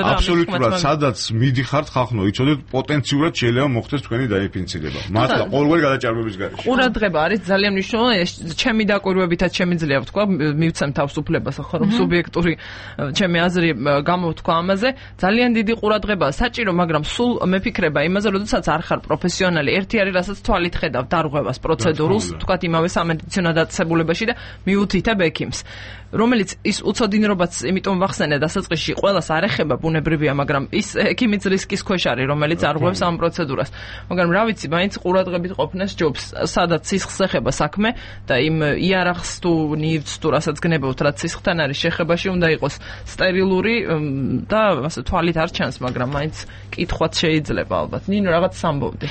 აბსოლუტურად სადაც მიდიხართ ხალხო, იცოდეთ პოტენციურად შეიძლება მოხდეს თქვენი დაინფიცირება. მართლა ყოველგვარი გადაჭარბების გარეშე. ყურადღება არის ძალიან მნიშვნელოვანი, ჩემი დაკვირვებითაც შემიძლია ვთქვა, მივცემ თავისუფლებას ახლა რომ სუბიექტური ჩემი აზრი გამოვთქვა ამაზე, ძალიან დიდი ყურადღებაა საჭირო, მაგრამ სულ მეფიქრება იმაზე, როდესაც არ ხარ პროფესიონალი, ერთი არის რასაც თვალით ხედავ დარღვევას პროცედურულს, თქვა იმავე სამედიცინო დაწესებულებაში და მიუთითებ ექიმს, რომელიც ის უცოდინრობაც იმიტომ ვახსენე დასაწყისში ყველას არ ეხება ბუნებრივია, მაგრამ ის ექიმიც რისკის ქვეშ არის, რომელიც არღვევს ამ პროცედურას. მაგრამ რა ვიცი, მაინც ყურადღებით ყოფნას ჯობს, სადაც სისხლს ეხება საქმე და იმ იარაღს თუ ნივთს თუ რასაც გნებავთ, რაც სისხლთან არის შეხებაში, უნდა იყოს სტერილური და ასე თვალით არ ჩანს, მაგრამ მაინც კითხვაც შეიძლება ალბათ. ნინო, რაღაც სამბოვდი.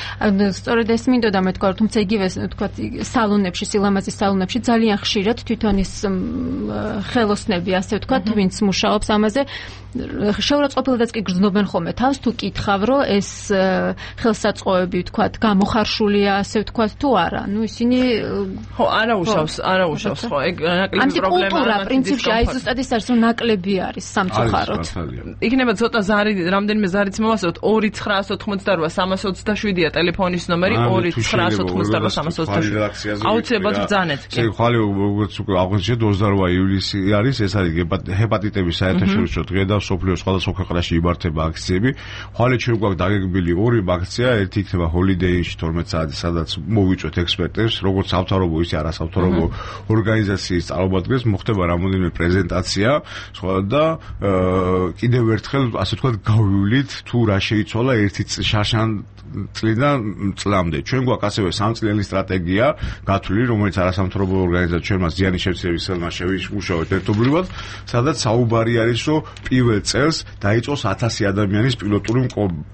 სწორედ ეს მინდოდა მე თქვა, თუმცა იგივე თქვა სალონებში, სილამაზის სალონებში ძალიან ხშირად თვითონ ის ხელოსნები, ასე ვთქვათ, ვინც მუშაობს ამაზე, შეურაცხყოფილადაც კი გრძნობენ ხოლმე თავს, თუ კითხავ, რომ ეს ხელსაწყოები, ვთქვათ, გამოხარშულია, ასე ვთქვათ, თუ არა. ნუ ისინი ხო, არაუშავს, არაუშავს, ხო, ეგ ნაკლების პრობლემაა. კულტურა პრინციპში აი ზუსტად ის არის, რომ ნაკლები არის სამწუხაროდ. იქნება ცოტა ზარი, რამდენიმე ზარიც მოვასწროთ, ორი ცხრაას ოთხმოცდარვა სამას ოცდაშვიდია ტელეფონის ნომერი, ორი ცხრაას ოთხმოცდარვა სამას ოცდაშვიდი. აუცილებლად ბრძანეთ. ეს ხვალე როგორც უკვე აღნიშნეთ ოცდაორი ივლისი არის, ეს არის ჰეპატიტების საერთაშორისო დღე და სოფლიოს სხვადასხვა ქვეყანაში იმართება აქციები. ხვალე ჩვენ გვაქვს დაგეგმილი ორი აქცია, ერთი იქნება ჰოლიდეიში თორმეტ საათზე, სადაც მოვიწვეთ ექსპერტებს, როგორც სამთავრობო ისე არასამთავრობო ორგანიზაციის წარმომადგენლებს, მოხდება რამოდენიმე პრეზენტაცია, და კიდევ ერთხელ ასე ვთქვათ გავივლით თუ რა შეიცვალა ერთი შარშან წლიდან წლამდე. ჩვენ გვაქვს ასევე სამწლიანი სტრატეგია გათვლილი, რომელიც არასამთავრობო ორგანიზაცია ჩვენ მას ზიანის შემცირების ხელმა შევიმუშავეთ ერთობლივად, სადაც საუბარი არის, რომ პირველ წელს დაიწყოს ათასი ადამიანის პილოტური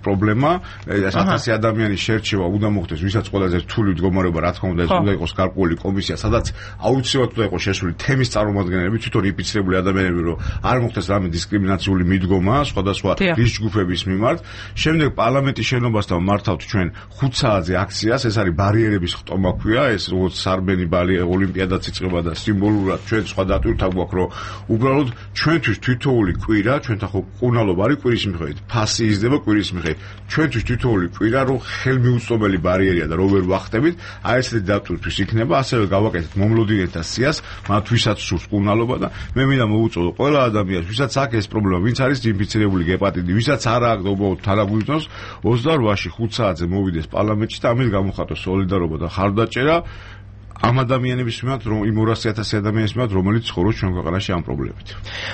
პრობლემა, ეს ათასი ადამიანის შერჩევა უნდა მოხდეს, ვისაც ყველაზე რთული მდგომარეობა, რა თქმა უნდა, ეს უნდა იყოს გარკვეული კომისია, სადაც აუცილებლად უნდა იყოს შესული თემის წარმომადგენლები, თვითონ ინფიცირებული ადამიანები, რომ არ მოხდეს რამე დისკრიმინაციული მიდგომა სხვადასხვა რისკ ჯგუფების მიმართ. შემდეგ პარლამენტის შენობასთან მართავთ ჩვენ ხუთ საათზე აქციას, ეს არის ბარიერების ხტომა ქვია, ეს როგორც სარბენი ბალი ოლიმპიადაც იწყება და სიმბოლურად ჩვენ სხვა დატვირთვა გვაქვს, რომ უბრალოდ ჩვენთვის თვითოული კვირა, ჩვენთან ხო ყურნალობა არის კვირის მიხედვით, ფასი იზრდება კვირის მიხედვით. ჩვენთვის თვითოული კვირა, რომ ხელმიუწვდომელი ბარიერია და რო ვერ ვახტებით, აი ესეთი დატვირთვის იქნება, ასევე გავაკეთეთ მომლოდინეთა სიას, მათ ვისაც სურს ყურნალობა და მე მინდა მოვუწოდო ყველა ადამიანს, ვისაც აქვს ეს პრობლემა, ვინც არის ინფიცირებული გეპატიტი, ვისაც არ აქვს უბრალოდ თანაგვიზნოს, ოცდაორი ხუთ საათზე მოვიდეს პარლამენტში და ამით გამოხატოს სოლიდარობა და ხარდაჭერა ამ ადამიანების მიმართ, რომ იმ ორასი ათასი ადამიანის მიმართ, რომელიც ცხოვრობს ჩვენ ქვეყანაში ამ პრობლემებით.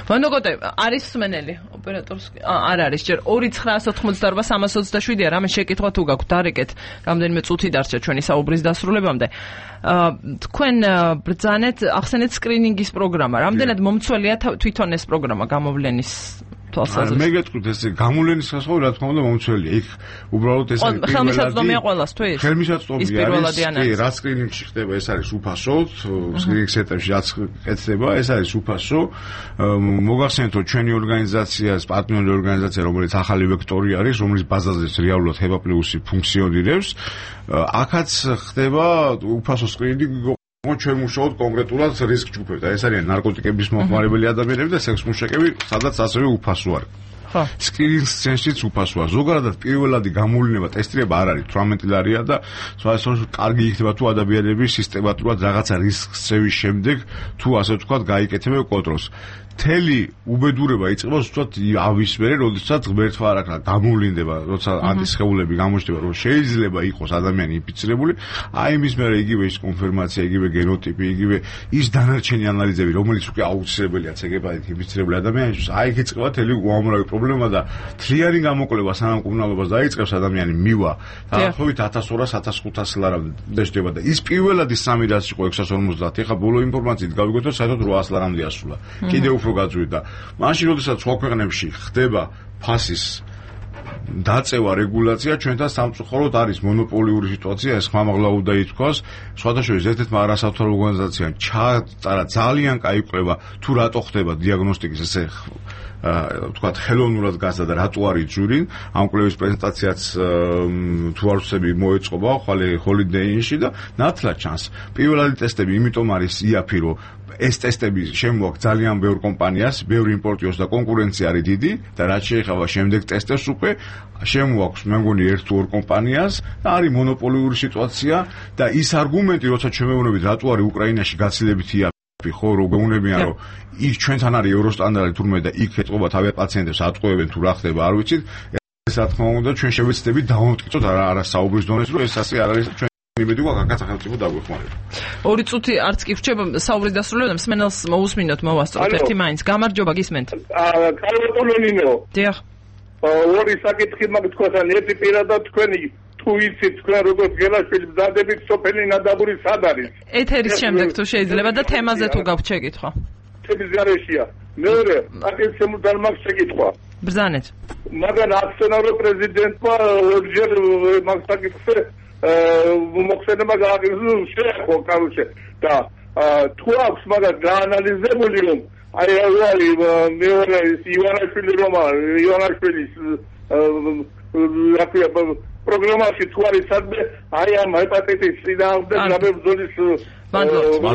ვანდოგოტე, არის სმენელი ოპერატორს? არ არის, ჯერ ორი ცხრაას ოთხმოცდაორი სამას ოცდაშვიდია, რამე შეკითხვა თუ გაქვთ, დარეკეთ, რამდენიმე წუთი დარჩა ჩვენი საუბრის დასრულებამდე. თქვენ ბრძანეთ, ახსენეთ სკრინინგის პროგრამა. რამდენად მომცველია თვითონ ეს პროგრამა გამოვლენის თვალსაზრისით. მე გეტყვით ესე გამოვლენის გასხოვი რა თქმა უნდა მომცველია. იქ უბრალოდ ეს არის ხელმისაწვდომია ყველასთვის. ხელმისაწვდომია არის. კი, რა სკრინინგში ხდება, ეს არის უფასო, სკრინინგ სეტაპში რაც კეთდება, ეს არის უფასო. მოგახსენეთ რომ ჩვენი ორგანიზაციას, პარტნიორი ორგანიზაცია, რომელიც ახალი ვექტორი არის, რომლის ბაზაზეც რეალურად ჰეპა პლუსი ფუნქციონირებს, აქაც ხდება უფასო სკრინინგი. ჩვენ მუშაობთ კონკრეტულად რისკ ჯგუფებთან. ეს არიან ნარკოტიკების მომხმარებელი ადამიანები და სექს მუშაკები, სადაც ასევე უფასო არის. ხო. სკრინინგ სენსიც უფასოა. ზოგადად პირველადი გამოვლენა ტესტირება არ არის თვრამეტი ლარია და სწორედ კარგი იქნება თუ ადამიანები სისტემატურად რაღაცა რისკს წევის შემდეგ თუ ასე ვთქვათ გაიკეთებენ კონტროლს. თელი უბედურება იწყება ზუსტად ავის მერე, როდესაც ღმერთმა არ აქვს გამოვლინდება, როცა ანტისხეულები გამოჩნდება, რომ შეიძლება იყოს ადამიანი ინფიცირებული, აი მის მერე იგივე ის კონფირმაცია, იგივე გენოტიპი, იგივე ის დანარჩენი ანალიზები, რომელიც უკვე აუცილებელია ცეგებადით ინფიცირებული ადამიანისთვის, აი იქ იწყება თელი უამრავი პრობლემა და თლიანი გამოკვლევა სანამ კურნალობას დაიწყებს ადამიანი მივა, დაახლოებით ათას ორას ათას ხუთასი ლარამდე შედება და ის პირველადი სამი რაც იყო ექვსას ორმოცდაათი, ახლა ბოლო ინფორმაციით გავიგოთ, რომ საერთოდ რვაას ლარამდე ასულა. კიდევ უფრო გაძვირდა. მაშინ როდესაც სხვა ქვეყნებში ხდება ფასის დაწევა რეგულაცია, ჩვენთან სამწუხაროდ არის მონოპოლიური სიტუაცია, ეს ხმამაღლა უნდა ითქვას. სხვადასხვა ერთ-ერთმა არასამთავრობო ორგანიზაციამ ჩაატარა ძალიან კაი კვლევა თუ რატო ხდება დიაგნოსტიკის ესე ვთქვათ ხელოვნურად გასდა და რატო არის ჯური. ამ კვლევის პრეზენტაციაც თუ არ ვცდები მოეწყობა ხვალე ჰოლიდეინში და ნათლად ჩანს. პირველადი ტესტები იმიტომ არის იაფი, რომ ეს ტესტები შემოაქვს ძალიან ბევრ კომპანიას, ბევრი იმპორტიორს და კონკურენცია არის დიდი და რაც შეეხება შემდეგ ტესტებს უკვე შემოაქვს მე მგონი ერთ თუ ორ კომპანიას და არის მონოპოლიური სიტუაცია და ის არგუმენტი, როცა ჩვენ მეუბნებით რატო არის უკრაინაში გაცილებით იაფი, ხო, რომ გეუბნებიან, რომ იქ ჩვენთან არის ევროსტანდარტი თურმე და იქ ეთყობა თავი პაციენტებს ატყუებენ თუ რა ხდება, არ ვიცით. ეს რა თქმა უნდა ჩვენ შევეცდებით დავამტკიცოთ არა საუბრის დონეს, რომ ეს ასე არ არის ჩვენ იმედი ვაქვს აქაც სახელმწიფო დაგვეხმარება. ორი წუთი არც კი ვრჩება საუბრის დასრულებამდე, მსმენელს მოусმინოთ, მოვასწროთ ერთი მაინც. გამარჯობა, გისმენთ. აა, კარლოტონინო. დიახ. ორი საკითხი მაქვს თქვენთან, ერთი პირადად თქვენი თუ იცით თქვენ როგორც გელაშვილის მზადებით სოფელი ნადაბური სად არის? ეთერის შემდეგ თუ შეიძლება და თემაზე თუ გაქვთ შეკითხვა. თემის გარეშეა. მეორე, აკეთ შემოძალ მაქვს შეკითხვა. ბრძანეთ. მაგრამ აქციონარო პრეზიდენტმა ორჯერ მაგ საკითხზე მოხსენება გააგრძელოს შეეხო კარუშე და თუ აქვს მაგრამ გაანალიზებული რომ აი აი მეორე ივანაშვილი რომ ივანაშვილის რაკია პროგრამაში თუ არის სადმე აი ამ ჰეპატიტის სინამდვილე გაბებძოლის მადლობა.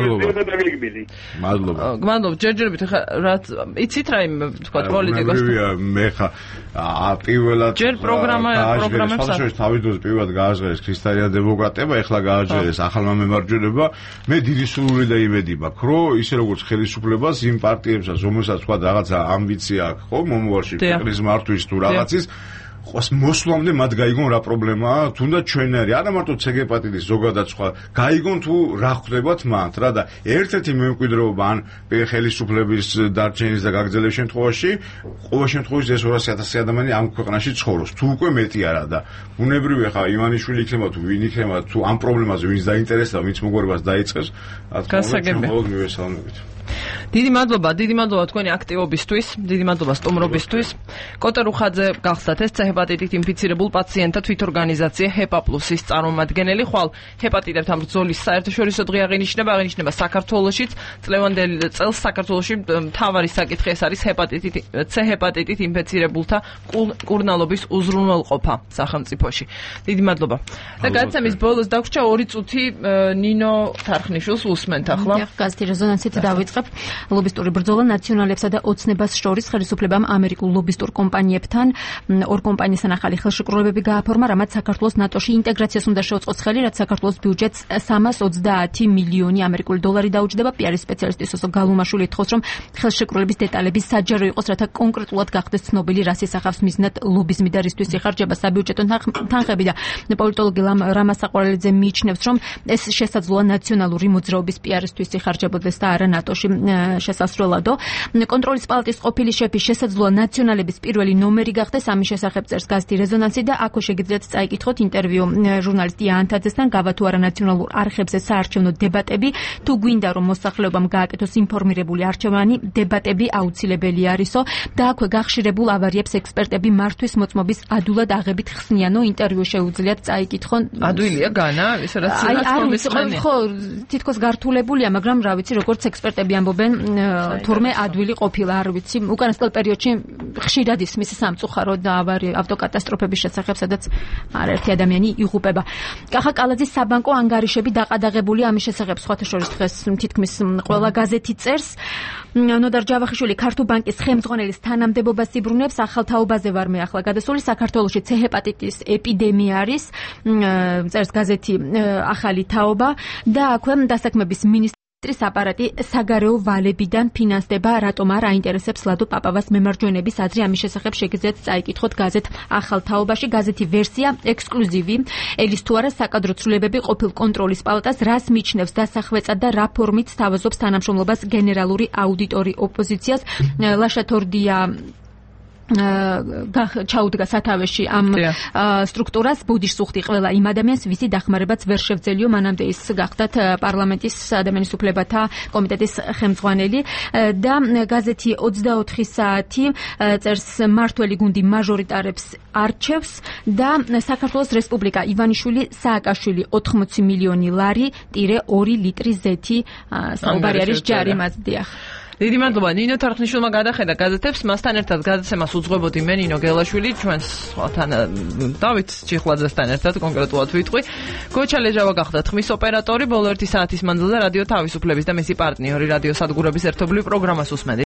მადლობა. გმადლობ, ჯერჯერობით ხა რაც იცით რა იმ თქვა პოლიტიკოს. მე ხა პირველად ჯერ პროგრამა პროგრამებს ახალ თავიდანვე პირველად გააჟღერეს ქრისტიანა დემოკრატია, ეხლა გააჟღერეს ახალმა მემარჯვენეობა. მე დიდი სურვილი და იმედი მაქვს, რომ ისე როგორც ხელისუფლებას იმ პარტიებსაც, რომელსაც თქვა რაღაცა ამბიცია აქვს, ხო, მომავალში ქვეყნის მართვის თუ რაღაცის ყოს მოსვლამდე მათ გაიგონ რა პრობლემაა, თუნდაც ჩვენ არის, არა მარტო ცეგეპატიტის ზოგადად სხვა, გაიგონ თუ რა ხდებათ მათ რა და ერთ-ერთი მემკვიდრეობა ან ხელისუფლების დარჩენის და გაგრძელების შემთხვევაში, ყოველ შემთხვევაში ეს ორასი ათასი ადამიანი ამ ქვეყანაში ცხოვრობს, თუ უკვე მეტი არა და ბუნებრივია ხა ივანიშვილი იქნება თუ ვინ იქნება, თუ ამ პრობლემაზე ვინც დაინტერესდა, ვინც მოგვარებას დაიწყებს, რა თქმა უნდა, ჩვენ მხოლოდ მივესალმებით. დიდი მადლობა, დიდი მადლობა თქვენი აქტივობისთვის, დიდი მადლობა სტუმრობისთვის. კოტე რუხაძე გახსდათ ეს ჰეპატიტით ინფიცირებულ პაციენტთა თვითორგანიზაცია ჰეპა პლუსის წარმომადგენელი. ხვალ ჰეპატიტებთან ბრძოლის საერთაშორისო დღე აღინიშნება, აღინიშნება საქართველოშიც. წლევანდელ წელს საქართველოში მთავარი საკითხი ეს არის ჰეპატიტით C ჰეპატიტით ინფიცირებულთა კურნალობის უზრუნველყოფა სახელმწიფოში. დიდი მადლობა. და გადაცემის ბოლოს დაგვრჩა ორი წუთი ნინო თარხნიშვილს უსმენთ ახლა. გაზეთი რეზონანსით დავიწყებ. ლობისტური ბრძოლა ნაციონალებსა და ოცნებას შორის ხელისუფლებამ ამერიკულ ლობისტურ კომპანიებთან ორ კომპანიასთან ახალი ხელშეკრულებები გააფორმა, რამაც საქართველოს ნატოში ინტეგრაციას უნდა შეუწყოს ხელი, რაც საქართველოს ბიუჯეტს სამას ოცდაათი მილიონი ამერიკული დოლარი დაუჯდება. პიარის სპეციალისტი სოსო გალუმაშვილი ეთხოვს, რომ ხელშეკრულების დეტალები საჯარო იყოს, რათა კონკრეტულად გახდეს ცნობილი, რას ისახავს მიზნად ლობიზმი და რისთვის იხარჯება საბიუჯეტო თანხები და პოლიტოლოგი რამას საყვარელიძე მიიჩნევს, რომ ეს შესაძლოა ნაციონალური მოძრაობის პიარისთვის იხარჯებოდეს და არა ნატოში შესასრულადო. კონტროლის პალატის ყოფილი შეფი შესაძლოა ნაციონალების პირველი ნომერი გახდეს, ამის შესახებ წერს გაზეთი რეზონანსი და აქ შეგიძლიათ წაიკითხოთ ინტერვიუ ჟურნალისტ იანთაძესთან, გავა თუ არა ნაციონალურ არხებზე საარჩევნო დებატები, თუ გვინდა რომ მოსახლეობამ გააკეთოს ინფორმირებული არჩევანი, დებატები აუცილებელი არისო და აქვე გახშირებულ ავარიებს ექსპერტები მართვის მოწმობის ადვილად აღებით ხსნიანო, ინტერვიუ შეუძლიათ წაიკითხონ. ადვილია განა, ის რაც არის ხო, თითქოს გართულებულია, მაგრამ რა ვიცი, როგორც ექსპერტები ამბობენ, თურმე ადვილი ყოფილა, არ ვიცი, უკანასკნელ პერიოდში ხშირად ისმის სამწუხარო და ავარი ავტოკატასტროფების შესახებ, სადაც არაერთი ადამიანი იღუპება. კახა კალაძის საბანკო ანგარიშები დაყადაღებულია, ამის შესახებ სხვათა შორის დღეს თითქმის ყველა გაზეთი წერს. ნოდარ ჯავახიშვილი ქართულ ბანკის ხელმძღვანელის თანამდებობას იბრუნებს, ახალ თაობაზე ვარ მე ახლა გადასული, საქართველოში ცე ჰეპატიტის ეპიდემია არის, წერს გაზეთი ახალი თაობა და აქვე დასაქმების მინისტრი მინისტრის აპარატი საგარეო ვალებიდან ფინანსდება, რატომ არ აინტერესებს ლადო პაპავას მემარჯვენების აზრი, ამის შესახებ შეგიძლიათ წაიკითხოთ გაზეთ ახალ თაობაში. გაზეთი ვერსია ექსკლუზივი, ელის თუ არა საკადრო ცვლილებები ყოფილ კონტროლის პალატას, რას მიჩნევს დასახვეწად და რა ფორმით სთავაზობს თანამშრომლობას გენერალური აუდიტორი ოპოზიციას. ლაშა თორდია ჩაუდგა სათავეში ამ სტრუქტურას, ბუდიშს უხდი ყველა იმ ადამიანს, ვისი დახმარებაც ვერ შევძელიო, მანამდე ის გახდათ პარლამენტის ადამიანის უფლებათა კომიტეტის ხელმძღვანელი და გაზეთი ოცდაოთხი საათი წერს მართველი გუნდი მაჟორიტარებს არჩევს და საქართველოს რესპუბლიკა ივანიშვილი სააკაშვილი ოთხმოცი მილიონი ლარი ტირე ორი ლიტრი ზეთი საუბარი არის ჯარიმას. დიახ. დიდი მადლობა ნინო თარხნიშვილმა გადახედა გაზეთებს, მასთან ერთად გადაცემას უძღვებოდი მე ნინო გელაშვილი, ჩვენს სხვათან დავით ჩიხლაძესთან ერთად კონკრეტულად ვიტყვი. გოჩა ლეჟავა გახდა ხმის ოპერატორი, ბოლო ერთი საათის მანძილზე რადიო თავისუფლების და მისი პარტნიორი რადიო სადგურების ერთობლივ პროგრამას უსმენთ.